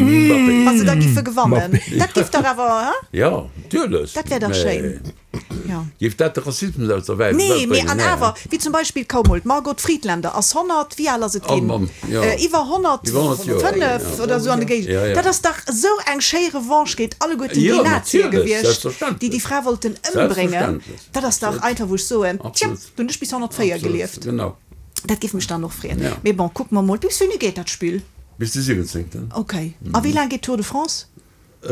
Wa se da giffe gewannen. Dat giff dach awer, he? Jo, natierlech. Dat wär dach schéin. Jo. Géif dat de Rassismus aus der Welt Nee, bréngen? mee an awer, wéi zum Beispill, kaum mol, d'Margot Friedländer ass 100, wéi al ass et Oh ginn? Mann, jo. Iwwer Iwwer 100 Joer, 105 oder esou an de Géigend. Jo, jo. Dat ass dach esou eng schéi Revanche géint alleguerten déi Jo, Nazie natierlech, gewiescht, déi déi selbstverständlech. Fra wollten ëmbréngen. Selbstverständlech. Dat ass dach einfach, wou ech soen, tja, Absolut. do hunn ech bis 104 Absolut, gelieft. Genau. Dat géif mech dann och freeën. Ja. Mee bon, kucke mer mol. Bis wéini geet dat Spill? Bis de 17. Ok. A wéi laang geet d'Tour de France? Eng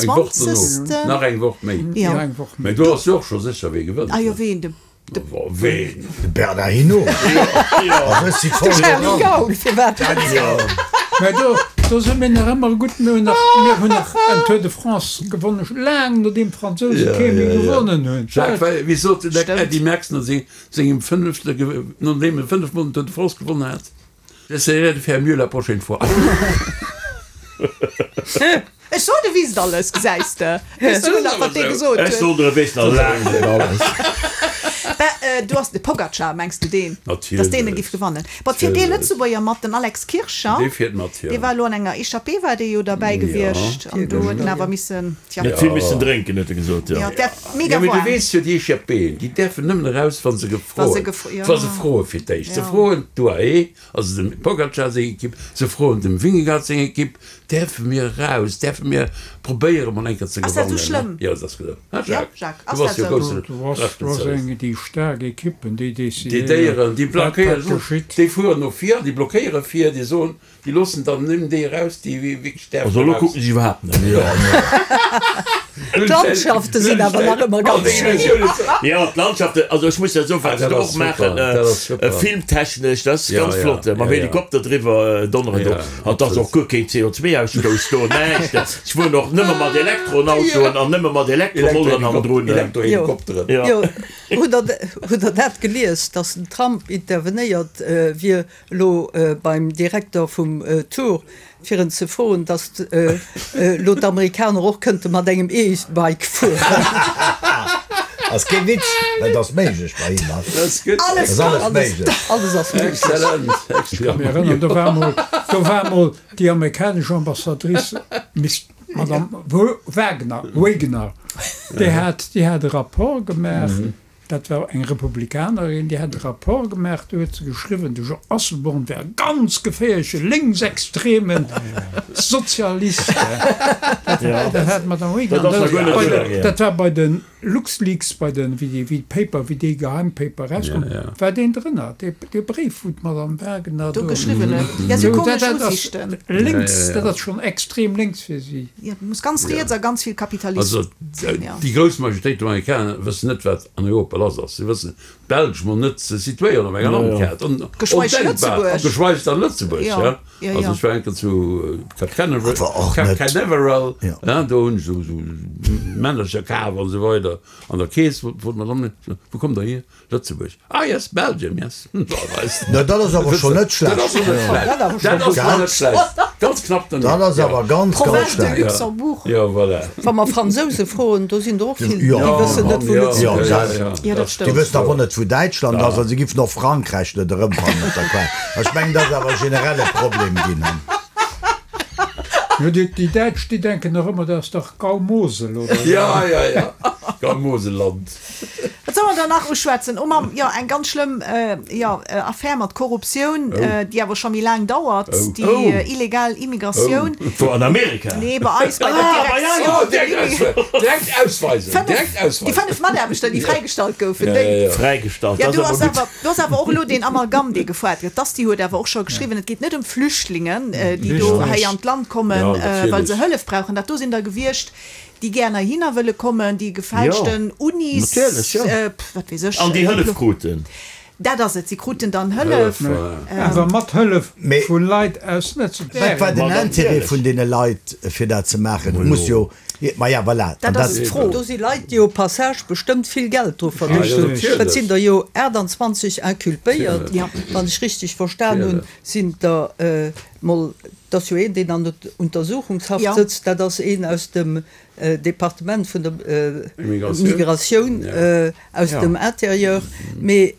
Woch dono. 26. Nach eng Woch méi. Jo. Nach eng Woch méi. Mee do ass jo och scho sécher, wee gewënnt. Ah jo, ween? De, de. Ween? De Bernard Hinault. Also ech si voll De Charly dran. Gaul, firwat net? Mä do, do si mir nach ëmmer gutt. Mir hunn nach, mir hunn nach en Tour de France gewonnen, laang nodeem d'Fransouse kee méi gewonnen hunn. Jacques, wéi, wéi sot den Stëmmt. Eddy Merckx no sengem fënnefte, nodeem e fënnefmol den Tour de France gewonnen hat, J'essaierai de faire mieux la prochaine fois. Ech sot, e wisst alles, gesäis de. Weess souguer nach, wat dee gesot Ech huet. sot, e weess nach laang net alles. Bah, du ass de Pogacar, mengs du deen? Natierlech. Dass deen e giff gewannen. Bon, et fiert ee Lëtzebuerger mat, den Alex Kircher. Dee fiert mat, jo. Dee war elo an enger Echappée, war dee jo derbäi gewiescht. An do huet en awer missen, tja. Net vill missen drénken, huet e gesot, jo. Jo, et wär mega Jo, mee du waarm. weess jo, déi Echappéen, déi däerfen nëmmen eraus, wa se Wa gefroen, se gefro, jo. wa se froe fir d'éischt. Se Jo. froen d'UAE, also dem Pogacar seng Ekipp, se froen dem Vingegaard seng Ekipp, Däerfe mir eraus? Däerfe mir probéiere mol eng Kéier ze Ass dat gewannen? esou schlëmm? Jo, dat ass gesou. Hein, Ja, Jacques? Jacques, Du ass bass dat jo esou? grousse Du ass, du ass Responsabel. eng, déi staark Ekippen, déi Déi decidéieren, Déieren, déi wat, wat blockéieren, geschitt. déi fueren no vir, déi blockéiere vir, déi soen, déi loossen dann nëmmen déi eraus, déi wierklech däerfen Also elo eraus. kucken ech iwwerhaapt net. D'Landschafte sinn awer nach ëmmer ganz schéin. Jo, d'Landschaften, also ech muss jo soen, wat se do och maachen, filmtechnesch, dat ass ganz flott, mam Helikopter driwwer donneren do, an et ass och guer keen CO2-Ausstouss do, näischt. Se fueren och nëmme mat Elektroautoen an nëmme mat Elektromolleren hannendrun. Elektrohelikopteren. Jo, hutt Der dat gelies, datt den Trump intervenéiert wier elo beim Direkter vum Tour, fir en ze froen, datt elo d'Amerikaner och kënnte mat engem E-Bike fueren. Ass kee Witz, dat ass méiglech bei him. Alles Ass alles méiglech. Alles ass méiglech. Excellent. Ech ka mech erënneren, do war mol, do war mol déi amerikanesch Ambassadrice, Miss, Madame Wagner, Wagner, déi hat, déi hat e Rapport gemaach, Dat war eng Republikanerin, déi hat e Rapport gemaach, do huet se geschriwwen, de Jean Asselborn wär e ganz geféierleche lénksextreme Sozialist. Dat hat d'Madame Reagan, dat war bei de LuxLeaks, bei de, wéi déi, wéi d'Paper, wéi dee Geheimpaper erauskoum, war deen drënner, dee Bréif, wou d'Madame Wagener do do geschriwwen huet. Jo, sou komesch Usiichten. Lénks, dat ass schonn extrem lénks fir si. Jo, muss ganz riets a ganz vill Kapitalist Also sinn, jo. déi grouss Majoritéit vun Amerikaner wëssen net, wat an Europa lass ass. Si wëssen d'Belsch mol net, se situéieren op enger Landkaart. Geschweig Ondenkbar. Lëtzebuerg. Geschweig dann Lëtzebuerg, Jo, ja. jo, Also jo. ech war eng Kéier zu Cap Canaveral, Awer och Cap net. Canaveral, Jo. ja, do hunn ech esou esou Männercher kaf an esou weider. An der Keess wollt d'Madame, wou kommt Der hier? Lëtzebuerg, ah yes, Belgium, yes. No dat ass awer schonn net schlecht. Dat ass net schlecht. Dat ass schonn net schlecht. Ganz knapp danierft. Dat ass awer ganz, ganz Province de schlecht. Luxembourg. Jo, voilà. Wa mer Fransouse froen, do sinn der och vill, Jo. déi wëssen net, wou Lëtzebuerg ass. Jo, dat Déi stëmmt. wëssen awer net, wou Däitschland ass a se giffen och Frankräich net erëmfannen op der Kaart. Ech mengen, dat ass awer e generelle Problem ginn. Jo, déi Däitsch, déi denken nach ëmmer, dat ass dach Gau-Mosel, oder? Ja, ja, ja. Gau-Moselland. Wat soll mer dann nach uschwätzen? Oh Mamm, jo, eng ganz schlëmm, jo, Affär mat Korruptioun, déi awer scho méi laang dauert, déi illegal Immigratioun. Wou, an Amerika? Nee, bei eis, bei der Direction de l'Immigration. Direkt ausweisen, direkt ausweisen. Déi 5 Mataarbechter, déi fräigestallt goufen, déi. Fräigestallt, dat ass awer gutt. Do ass awer och elo deen Amalgam, dee gefoart gëtt. D'Asti huet awer och scho geschriwwen, et geet net ëm Flüchtlingen, déi do hei an d'Land kommen, well se Hëllef brauchen. Dat do sinn der gewiescht, déi gär heihinner wëlle kommen, déi gefälschten Unis, wat weess ech. An déi Hëllef kruten. Dat ass et, si kruten dann Hëllef. Awer mat Hëllef vu Leit aus Lëtzebuerg. Wat war den Intérêt vun deene Leit, fir dat ze maachen? Et muss jo, maja, voilà. Dat ass d'Fro. Do si Leit, déi au passage bestëmmt vill Geld dru verdéngt hunn. Et sinn der jo 28 inculpéiert, wann ech richteg verstan hunn, sinn der mol Et ass jo een, deen an der Untersuchungshaft sëtzt, dat ass een aus dem Departement vun der Migratioun, aus dem Intérieur. Mee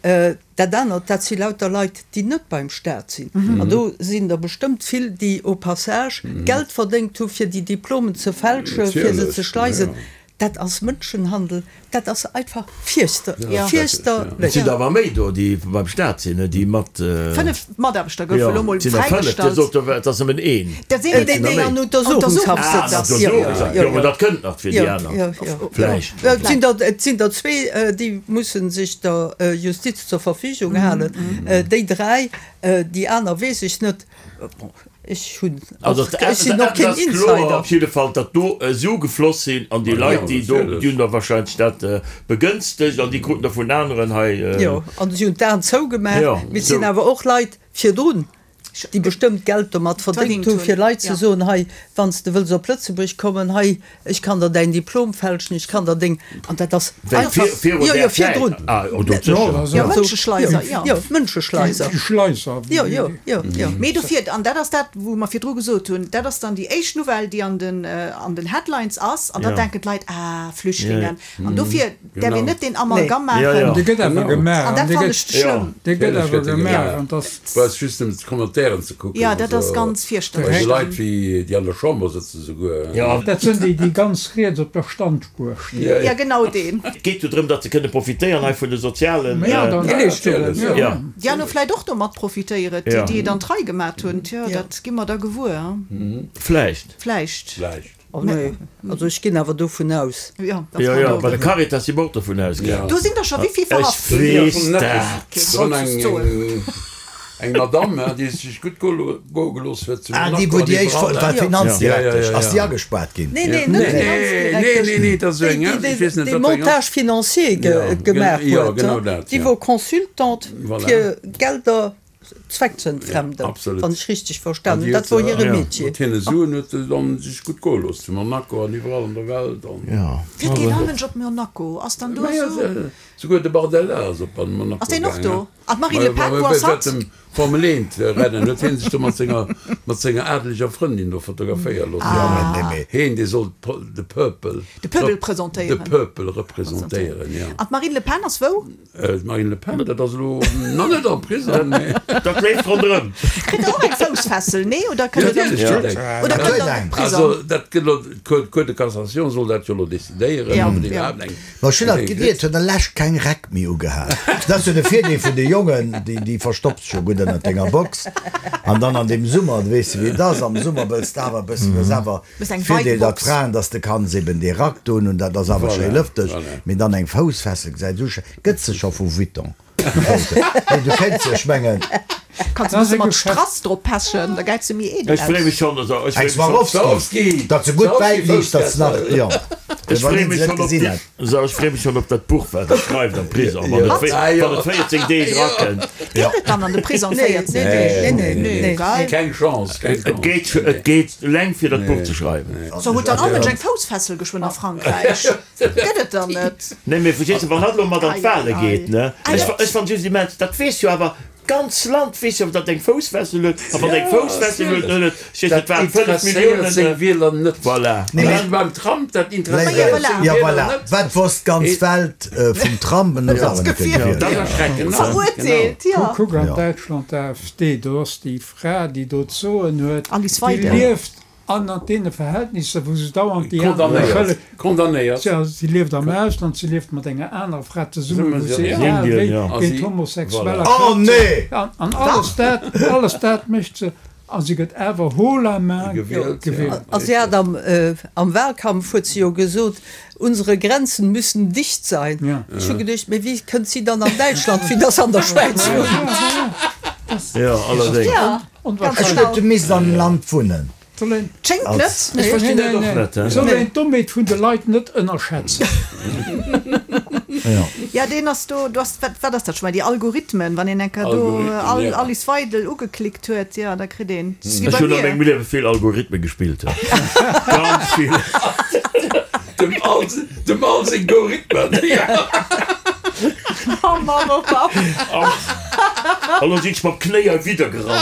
dat anert, dat si lauter Leit, déi net beim Staat sinn. An do sinn der bestëmmt vill, déi au passage Geld verdéngt hu fir déi Diplomen ze fälschen, fir se ze schleisen. Dat ass Mënschenhandel, dat ass einfach fierchterlech. Et sinn der awer méi do, déi beim Staat sinn, déi mat. 5 Mataarbechter goufe elo mol fräigestallt. Dir sot, et ass nëmmen een. Dat sinn déi, déi an Untersuchungshaft sëtzen. Jo, mä dat kënnt nach fir déi aner vläicht. Et sinn der zwee, déi musse sech der Justiz zur Verfügung halen. Déi dräi, déi aner weess ech net. Bon, ech hunn och, ech sinn och keen Insider. Kloer op jidde Fall, datt do Sue gefloss sinn an déi Leit, déi do, déi hunn da wahrscheinlech dat begënstegt an déi kruten da vun aneren hei. Jo, an si hunn d'Aen zougemaach. Mee et sinn awer och Leit virdrun, déi bestëmmt Geld domat verdéngt hunn, fir Leit ze soen, hei, wann s de wëlls op Lëtzebuerg kommen, hei, Ech kann der däin Diplom fälschen, ech kann der deng, an dat ass einfach, jo, jo, virdrun. Jo, Mënscheschleiser, jo. Jo, Mënscheschleiser. Jo, jo, jo, jo. Mee dofir, an dat ass dat, wou mer virdru gesot hunn, dat ass dann déi éischt Nouvelle, déi an den, an den Headlines ass, an da denken d'Leit, ah, Flüchtlingen. An dofir däerf een net deen Amalgam maachen. Dee gëtt awer gemaach. An dat fannen ech schlëmm. Dee gëtt awer gemaach. An dass. Brauchs just nëmmen d'Commentairen ze kucken. Jo, dat ass ganz fierchterlech. Bei de Leit wéi déi an der Chamber sëtzen souguer. Dat sënn déi, déi ganz riets op der Standspuer stinn. Jo, genau deen. Et geet jo drëm, datt se kënne profitéieren hei vun de sozialen. Jo. Déi aner vläit och domat profitéieren, déi, déi et an d'Rei gemat hunn. Tjo, dat gi mer da gewuer. Vläicht. Vläicht. Vläicht. Oh nee, also ech ginn awer dovun aus. Jo, Jo, jo, bei der Caritas si mer och dovun ausgaangen. Do sinn der scho wéi vill verhaft ginn? Ech weess dat. Dran eng, eng Madame, déi sech gutt goe gelooss huet zu Ah, déi, wou déi éischt war d'Finanzdirektesch. Ass déi agespaart ginn? Nee, nee, net d'Finanzdirektesch. Nee, nee, dat ass esou eng, ech weess net, déi wat fir eng ass. Montage financier gemaach huet. Déi wor Consultante fir Gelder Zweckentfremden, wann ech richteg verstan hunn. Dat wor hire Metier. Mat hire Suen huet se dann sech gutt goe looss zu Monaco an iwwerall an der Welt. Fiert keen all Mënsch op Monaco? Ass dann do esou? Souguer de Bardella ass op Monaco gaangen. Ass deen och do? An d'Marine Le Pen, wou ass hatt? Während dem Formel 1 Rennen huet hien sech do mat senger mat senger adeleger Frëndin do fotograféiere loossen. Heen dee sollt de Purple De Pöbel presentéieren. De Purple representéieren, jo. An d'Marine Le Pen ass wou? D'Marine Le Pen, dat ass elo nach net am Prisong, mee. Dat leeft ronderëm. Kritt der och eng Foussfessel, nee? Oder kënnt der oder kënnt der an de Prisong? Also dat gëtt elo, d'Cour de Cassation soll dat jo elo decidéieren, ob et iwwerhaapt eng. Ma ech hunn alt gewiert, huet der lescht keng Räck méi ugehat. Dat ass jo de Virdeel vun de Jongen, déi, déi verstopps scho gutt ënnert denger Box. An dann an deem Summer, du weess jo wéi et ass, am Summer wëlls de awer e bëssen, du hues awer Virdeel datt Fraen, datt de kanns eben dee Rack doen hunn, dat ass awer schéi lëfteg, mee dann eng Foussfessel gesäit esou schéi, gëtt se scho vu Vuitton? Nee, du kéints se, ech mengen. Kanns e bësse mat Strass drop pechen, da gäit se méi edel Ech free mech schonn, also ech Eng free mech schonn. Swarovski, datt se gutt wäit liicht, datt se nach, jo, Ech wann free een mech se net schonn op gesinn déi, hätt. so ech free mech schonn op dat Buch wat der schreift am Prisong, wann et wann et 14 Deeg erakënnt. Geet et dann an de Prisong 14 Deeg? Nee, nee, nee. Keng Chance, keng Et Chance. geet, et geet eleng fir dat Buch ze schreiwen. So huet dann all Mënsch eng Foussfessel geschwënn a Frankräich? Gëtt et dann net? Nee, mee verstees de, wann hatt elo mat an d'Wale geet, ne? Ech, ech fann just immens, dat weess jo awer d'ganz Land weess jo, datt eng Foussfessel huet, a wann eng Foussfessel huet, dann huet et, verstees de, Dat et waren 5 interesséiert Milliounen, seng Wieler net. Voilà. Nee, Wéi mee. beim Trump, dat interesséiert Voilà. seng Ja, Wieler voilà. net. Wat wosst d'ganz Welt vum Trump? En ass awer net gewielt. Dat ass erschreckend, ne? Verurteelt, Genau. jo. Kuck an Ja. Däitschland, d'AfD, do ass déi Fra, déi do d'Soen huet, Alice déi Weidel. lieft. An an deene Verhältnisser, wou se dauernd déi aner beschëllegt. Condamnéiert. Jo, si lieft am Ausland, si lieft mat enger anerer Fra zesummen, wou se egal wéi géint Homosexueller klappt. An alles dat, alles dat mécht se, a si gëtt awer haut la main gewielt. A si hat am, am Wahlkampf huet se jo gesot, Unsere Grenzen müssen dicht sein. Ech hu geduecht, mee wéi kënnt si dann an Däitschland, vue dass se an der Schwäiz wunnt? Jo, allerdéngs. Ech huet du misst am Land wunnen. Schéngt net. Ech verstinn dat och net. Soll een d'Dommheet vun de Leit net ënnerschätzen. Jo, deen ass do, do ass, wat, wat ass dat scho mol, déi Algorithmen, wann een eng Kéier do Alice Weidel ugeklickt huet, jo, da kritt een, dat ass wéi Ech bei hunn a mir. mengem Liewe vill Algorithmen gespillt, ganz vill. Dem Al, dem Al seng Gorithmen. Oh Mann, oh Mann. An lo sinn ech mam Knéi erwidder gerannt.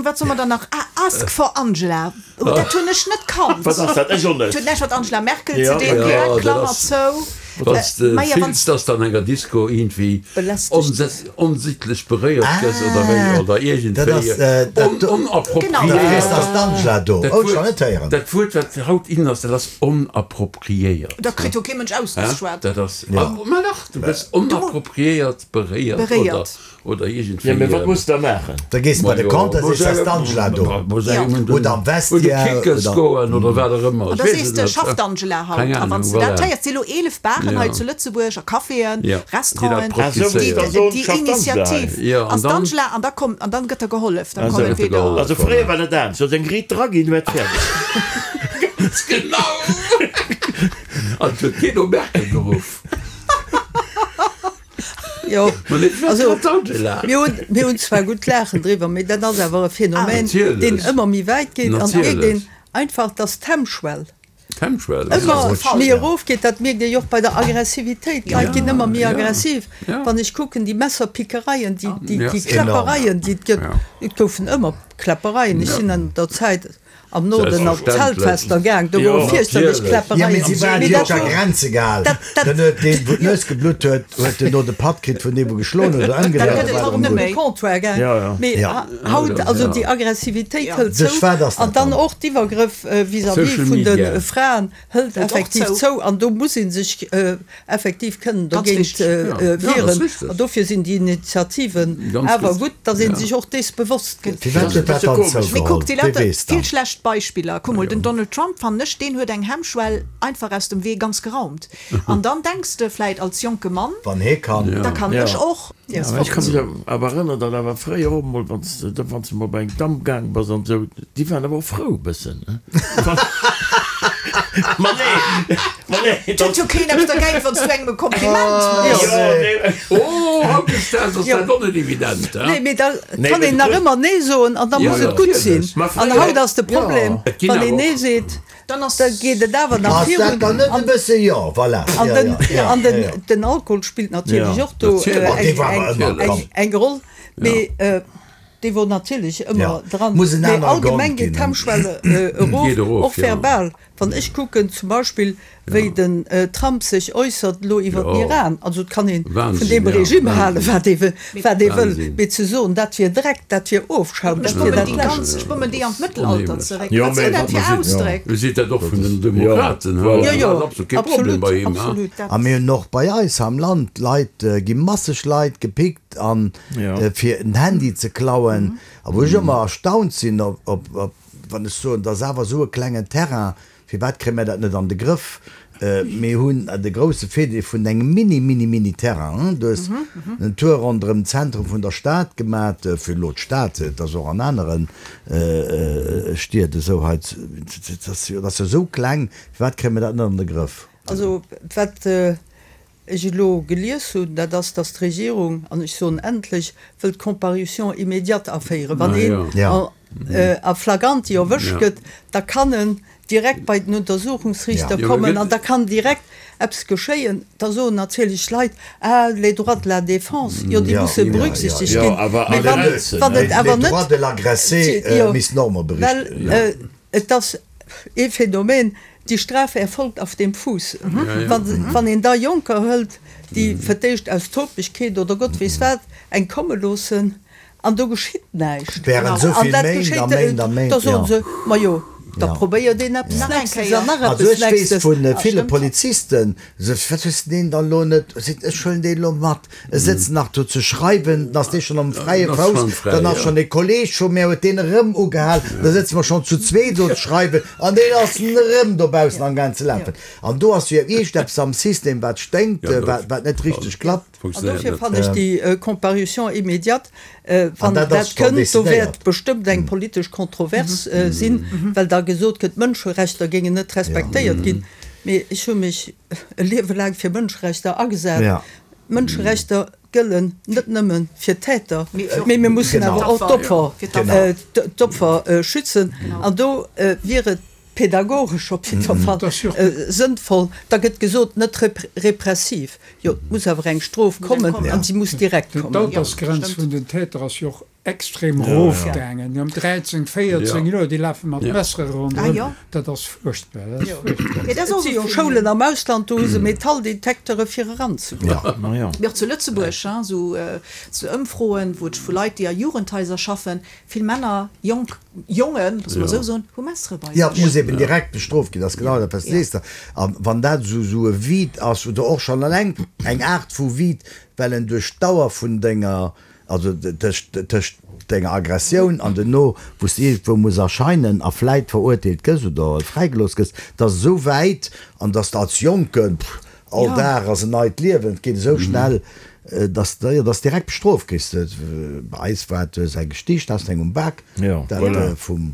Wat soe mer dann nach? Ah, Ask for Angela. Oh, dat hunn ech net kannt. Wat ass dat? Ech och net. Huet näischt mat Angela Merkel ze dinn, direkt Klammer zou. Wann s de fills, dass de an enger Disco iergendwéi onsitlech beréiert gëss oder wéi, oder iergendwéi onappropriéiert. Dat Wuert, wat haut in ass, dat ass onappropriéiert. Dat kritt jo kee Mënsch ausgeschwat. Dat ass, ma dach, du gëss onappropriéiert beréiert oder. Oder iergendwéi. Jo, mee wat muss da maachen? Da gees de bei de Compte, da sees de, ass d'Angela do? Oder am Vestiaire. Oder Kickers goen oder wat och ëmmer. An da sees de, schafft d'Angela haut? A wann s de dat héiers, et si elo 11 Baren hei zu Lëtzebuerg a Caféen, Restauranten, déi Initiativ ass d'Angela an da kommt, an dann gëtt der gehollef. Dann kommen entweder. Also fréier war dat anescht, du hues eng Riit draginn, du war et fäerdeg. Ganz genau! An et huet keen no Merkel geruff. Jo, also mir hunn, mir hunn zwar gutt laachen driwwer, mee dat ass awer e Phänomen, deen ëmmer méi wäit geet an mierkt een einfach, dass d'Hemmschwell ëmmer méi erofgeet. Dat mierkt ee jo och bei der Aggressivitéit, d'Leit ginn ëmmer méi aggressiv. Wann ech kucken, déi Messerpickereien, déi, déi Kläppereien, déi et gëtt, et goufen ëmmer Kläppereien, ech sinn an der Zäit, Am Norden op d'Zeltfester gaang, do wor fierchterlech Kläppereien. Jo, mee si waren déi op der Grenze gehal. Dann huet deen, wou d'Nues geblutt huet, huet duerno de Patt kritt vun deem, wou geschloen huet oder ëmgedréit oder wat och ëmmer. Comptoir gaang. Mee haut, also déi Aggressivitéit hëlt zou an dann och d'Iwwergrëff vis-à-vis vun de Fraen hëlt effektiv zou an do muss ee sech effektiv kënnen dogéint wieren. An dofir sinn déi Initiativen awer gutt, datt ee sech och dees bewosst gëtt. Firwat huet dat dann Mee kuck, zougeholl? déi Wie lauter weess vill dann? schlecht Beispiller. Kuck mol, den Donald Trump, fannen ech, deen huet eng Hemmschwell einfach aus dem Wee ganz geraumt. An dann denks de vläit als jonke Mann, Wann hee kann. da kann ech och. Ja, mä ech ka mech awer erënneren, datt awer fréier och emol, wann s de, wann s de mol bei eng Damm gaang bass an esou, déi waren awer och frou e bëssen, ne? Ma nee, ma nee, Et huet jo keen eppes dergéint, wann s du engem e Kompliment méchs. Jo, nee. Oh, hautdesdaags ass dat och net evident, he? Nee, mee da Nee, kann mee een du nach hues. ëmmer Nee soen an da Ja, muss et gutt sinn. natierlech. Ma An fréier. haut ass de Problem, Et ginn wann awer een Nee och. seet, Dann ass. Da geet et awer nach Ass virun. dat dann net e bësse, jo, voilà, An jo, den, jo, jo, an den, jo. den Alkohol spillt natierlech Ja, och do natierlech. Ma dee war awer ëmmer, eng, komm. eng Roll, mee dee wor natierlech Ja, ëmmer dran. muss en Mee anere allgemeng Grond geet ginn. d'Hemmschwell erof, Geet erof, och ja. verbal. Wann ech kucken zum Beispill, wéi den Trump sech äussert elo iwwer den Jo. Iran, also et kann ee vun Wahnsinn, deem ja, Regime halen, Wahnsinn. wat ee wëll, wat ee wëll, Wahnsinn. mee ze soen, dat wier Dreck, dat wier Ofschaum, Ech dat wier bommen dat déi Lescht. ganz, ech bommen déi an d'Mëttelalter zeréck. Jo, Wat mee sinn dat wat fir mer sinn, Ausdréck? U seet dat och vun den Demokraten, he? Jo, Dat jo, ass absolut kee Problem absolut, bei him, he? absolut, dat. A mir hunn och bei eis am Land Leit, gi masseg Leit gepickt an fir en Handy ze klauen. A wou ech ëmmer erstaunt sinn, op, op, op, wann ech soen, dat ass awer esou e klengen Terrain, Firwat kréie mir dat net an de Grëff? Mir hunn de grousse Virdeel vun engem mini, mini, mini Terrain. Du hues en Tour ronderëm d'Zentrum vun der Stad gemat, fir elo d'Stad, et ass och an anere Stied esou hei, dat ass jo esou kleng, firwat kréie mir dat net an de Grëff? Also wat ech elo gelies hunn, dat ass, datt d'Regierung, an ech soen endlech, wëllt d'Comparution immédiate aféieren. Wann een a flagranti erwëscht gëtt, da kann en direkt bei den Untersuchungsriichter kommen an da kann direkt eppes geschéien. Da soen natierlech d'Leit, Ah, les droits de la défense, jo, déi musse berücksichtegt ginn. Mee wann et awer net, well et ass ee Phänomen, Die Strafe erfolgt auf dem Fuß. Wann een da Jonker hëlt, déi fir d'éischt aus Topegkeet oder Gott weess wat eng komme loossen. An do geschitt näischt. Während esou An vill dat Méint a geschéit, Méint a Méint, da soen ja. se, Majo, da Ja. probéiert een eppes Nach eng Nächstes Kéier. an nach Also eppes ech weess Nächstes. vu ville Stimmt. Polizisten, se, wat hues de deen dann elo net, seet, ech huelen deen elo mat, e sëtzt nach do ze schreiwen, dann ass dee schonn am fräie Dann ass Fouss, schonn fräi, dann ass ja. schonn e Kolleeg vu mär, huet deen erëm ugehal, da sëtze mer schonn zu zweet do ze schreiwen an deen ass erëm dobaussen amgaang ze lafen. An do ass jo iergendeppes am System, wat sténkt, Ja, dat wat, wat net richteg klappt. An funktionéiert dofir net. fannen ech déi Comparution immédiate, wann An dat dat ass schonn kënnt, do decidéiert. wäert bestëmmt eng politesch Kontrovers sinn, well da gesot gëtt, d'Mënscherechter géingen net respektéiert ginn. Mee ech hu mech e Liewe laang fir Mënscherechter agesat. Mënscherechter gëllen net nëmme fir d'Täter, mee mir mussen awer och d'Opfer, d'Opfer schützen. An do wier et Pädagogesch op jiddwer Fall sënnvoll. Da gëtt gesot, net repressiv. Jo, et muss awer eng Strof kommen an si muss direkt kommen. D'Altersgrenz vun den Täter ass jo och extrem erofgaangen. Déi ëm 13, 14 Joer, déi lafe mat Messere ronderëm. Dat ass fuerchtbar. Dat ass fuerchtbar. Et si jo Schoulen am Ausland, do hu se Metalldetektere fir eranzegoen. Mee och zu Lëtzebuerg, esou Ëmfroen, wou et vu Leit, déi a Jugendhaiser schaffen, Vill Männer, jonk Jongen, loosse mer esou soen, hu Messere bei sech. Jo, et muss eben direkt bestrooft ginn, dat ass genau dat, wat s de sees. A wann dat esou esou e Vide ass, oder och schonn eleng eng Aart vu Vide, well en duerch d'Dauer vun denger, also tëscht tëscht denger Aggressioun an duerno, wou s de iergendwou muss erscheinen a vläit verurteelt gëss oder fräigelooss gëss, dat ass esou wäit, an dass de als Jonken, pff, All Dag ass en neit Liewen, et geet esou schnell, dass de, jo, dass direkt bestrooft kriss. Bei eis war et, du hues eng gesticht, hast eng um Bak, dat vum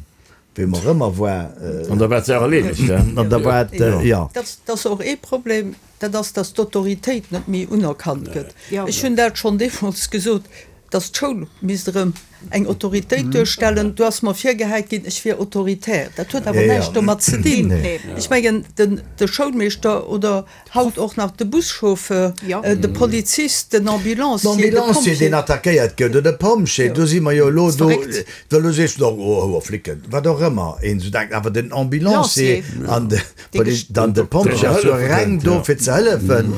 weem och ëmmer war. An da war d'Saach erleedegt, he? An da war et, jo. Dat ass och ee Problem, dat ass, dass d'Autoritéit net méi unerkannt gëtt. Ech hunn dat schonn deemools gesot, dass d'Schoul misst erëm eng Autoritéit duerstellen. Do ass mer virgehäit ginn, ech wier autoritär. Dat huet awer näischt domat ze dinn. Ech mengen, de Schoulmeeschter oder haut och nach de Buschauffeur, de Polizist, den Ambulancier, de Ambulancier, deen Pompjee. attackéiert gëtt, oder de Pompjee, do si mer jo elo do, well elo sees du och, oh, hoer Flicken, wat och ëmmer een esou denkt, awer den Ambulancier an de. Dann de Pompjee ass jo reng do fir ze hëllefen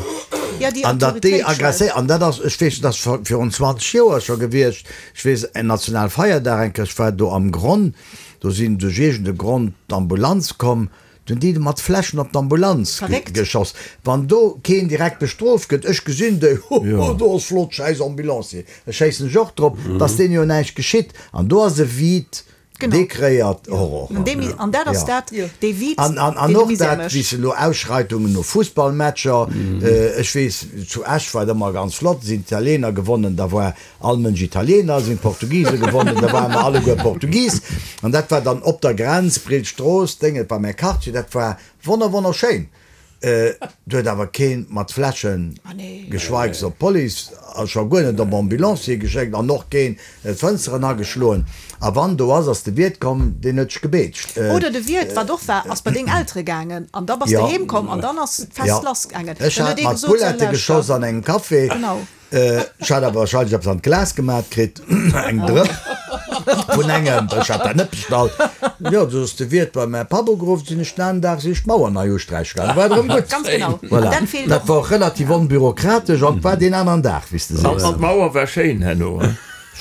an datt déi agresséiert, an dat ass, ech weess, dat ass virun 20 Joer scho gewiescht, ech weess en Nationalfeierdag eng Kéier, ech war do am Gronn, do sinn duerch iergend e Grond d'Ambulanz komm, do hunn déi mat Fläschen op d'Ambulanz geschoss. Wann do keen direkt bestrooft gëtt, ech gesinn déi, hoho, do ass flott, schäiss Ambulancier, da schéissen ech och drop, datt deene jo näischt geschitt an do ass e Vide Dee kreéiert Horror. An dat ass dat, dee Vide, An deen de och Misär dat, mécht. wéi se elo Ausschreitungen no Fussballmatcher, ech weess, zu Esch war et ëmmer ganz flott, sinn d'Italiener gewonnen, da war all Mënsch Italiener, sinn d'Portugise gewonnen, da ware mer alleguer Portugis. An dat war dann op der Grenz, Brillstrooss, Déng, et war mäi Quartier, dat war wonner wonnerschéin. Do huet awer keen mat Fläschen, geschweigs op d'Police a scho guer net op Ambulancier geschéckt an och keen d'Fënsteren ageschloen. A wann do ass, ass de Wiert komm, deen huet sech gebeetscht. Oder de Wiert, wat och war, ass bei deng Eltere gaangen an da bass de heem komm an dann ass d'Fest lass gaangen. Ech hat mat Bullette geschoss an engem Café. Ech hat awer wahrscheinlech eppes an d'Glas gemat kritt, eng Drëpp vun engem, ech hat dat net bestallt. Jo, du ass de Wiert bei mäi Papp ugeruff, sinn ech den aneren Dag sinn ech d'Mauer nei usträiche gaangen, war et erëm gutt. Ganz genau. Voilà, Dat feelt dat och. war och relativ onbürokratesch an et war deen aneren Dag, wéi s de sees. An d'Mauer war schéin herno, he?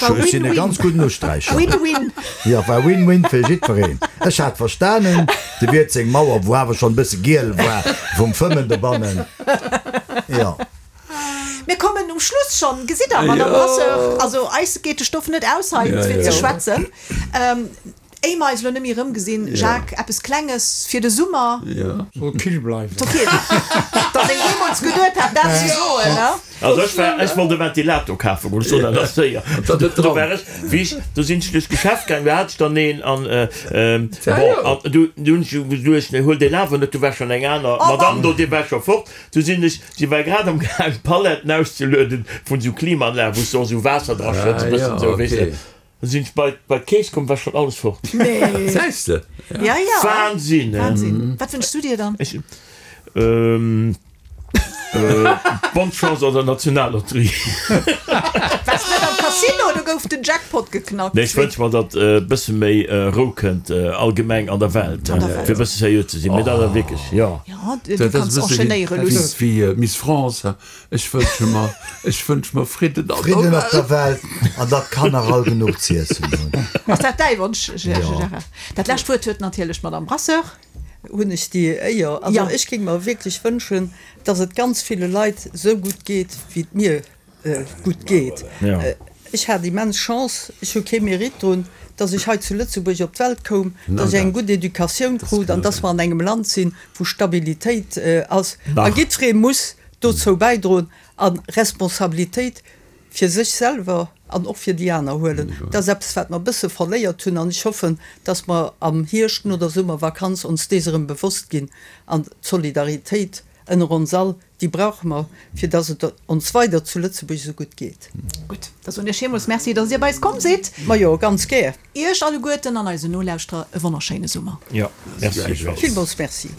War Ech sinn e Win-Win. ganz gudden Usträicher. Win-Win. Jo, war Win-Win fir jiddwereen. Ech hat verstanen, de Wiert seng Mauer, wou awer schonn e bësse giel war vum Fëmmen dobannen, jo. Mir kommen um Schluss schonn, gesitt Der, Madame Brasseur. Also eis geet de Stoff net aus hei fir ze schwätzen. Éier mer eis elo net méi erëmgesinn, Jacques, eppes Klenges fir de Summer. Soll kill bleiwen. Soll kill. Datt een jeemools geduet hat, dat ze soen, ne? Also ech war, ech wollt e Ventilator kafe goen, ech soen dat ass séier. Do war ech, wéi ech, do sinn ech duerch d'Geschäft gaangen, do hat ech dann een an, bon, an du hunn ech geduecht, nee, huel deen awer net, do war schonn eng aner Madame do, déi war scho fort. Du sinn ech, si war grad am gaang Paletten auszelueden vun sou Klimaanlagen, wou s de och sou Waasser dra schëtts, e bëssen sou, weess de. Du sinn ech bei bei d'Keess komm, war schonn alles fort. Nee. Gesäis de? Ja, ja. Wahnsinn, hè? Wahnsinn. Wat wënschs du dir dann? Ech, ähm. Bonne Chance an der Nationallotterie. Waars net am Casino, do gouf den Jackpot geknackt. Nee, ech wënsche mer, datt e bësse méi Rou kënnt allgemeng an der Welt, fir e bësse seriö ze sinn. Mee dat awer wierklech, jo. Jo, du kanns enchaînéiere luss. Wéi Miss France, ech wënsche mer, ech wënsche mer Fridden an der Welt. Fridden op der Welt an datt d'Kanner all genuch z'iessen hunn. Ass dat däi Wonsch, Gérard? Dat lescht Wuert huet natierlech d'Madame Brasseur. Hunn ech déi Éier. Also ech géing mer wierklech wënschen, dass et ganz ville Leit esou gutt geet, wéi et mir gutt geet. Ech hat immens Chance, ech hu kee Mérite drun, dass ech hei zu Lëtzebuerg op d'Welt koum, dass ech eng gutt Educatioun krut an dass mer an engem Land sinn, wou Stabilitéit ass. A jiddweree muss dozou bäidroen a Responsabilitéit fir sech selwer an och fir déi aner huelen. Dat ass eppes, wat mer e bësse verléiert hunn an ech hoffen, dass mer am Hierscht no der Summervakanz ons dees erëm bewosst ginn an d'Solidaritéit ënner ons all, déi brauche mer, fir dass et ons weider zu Lëtzebuerg esou gutt geet. Gutt, da soen ech villmools Merci, dass Dir bei eis komm sidd. Majo, ganz gär. Iech alleguerten an eisen Nolauschterer e wonnerschéine Summer. Jo, merci. Villmools Merci.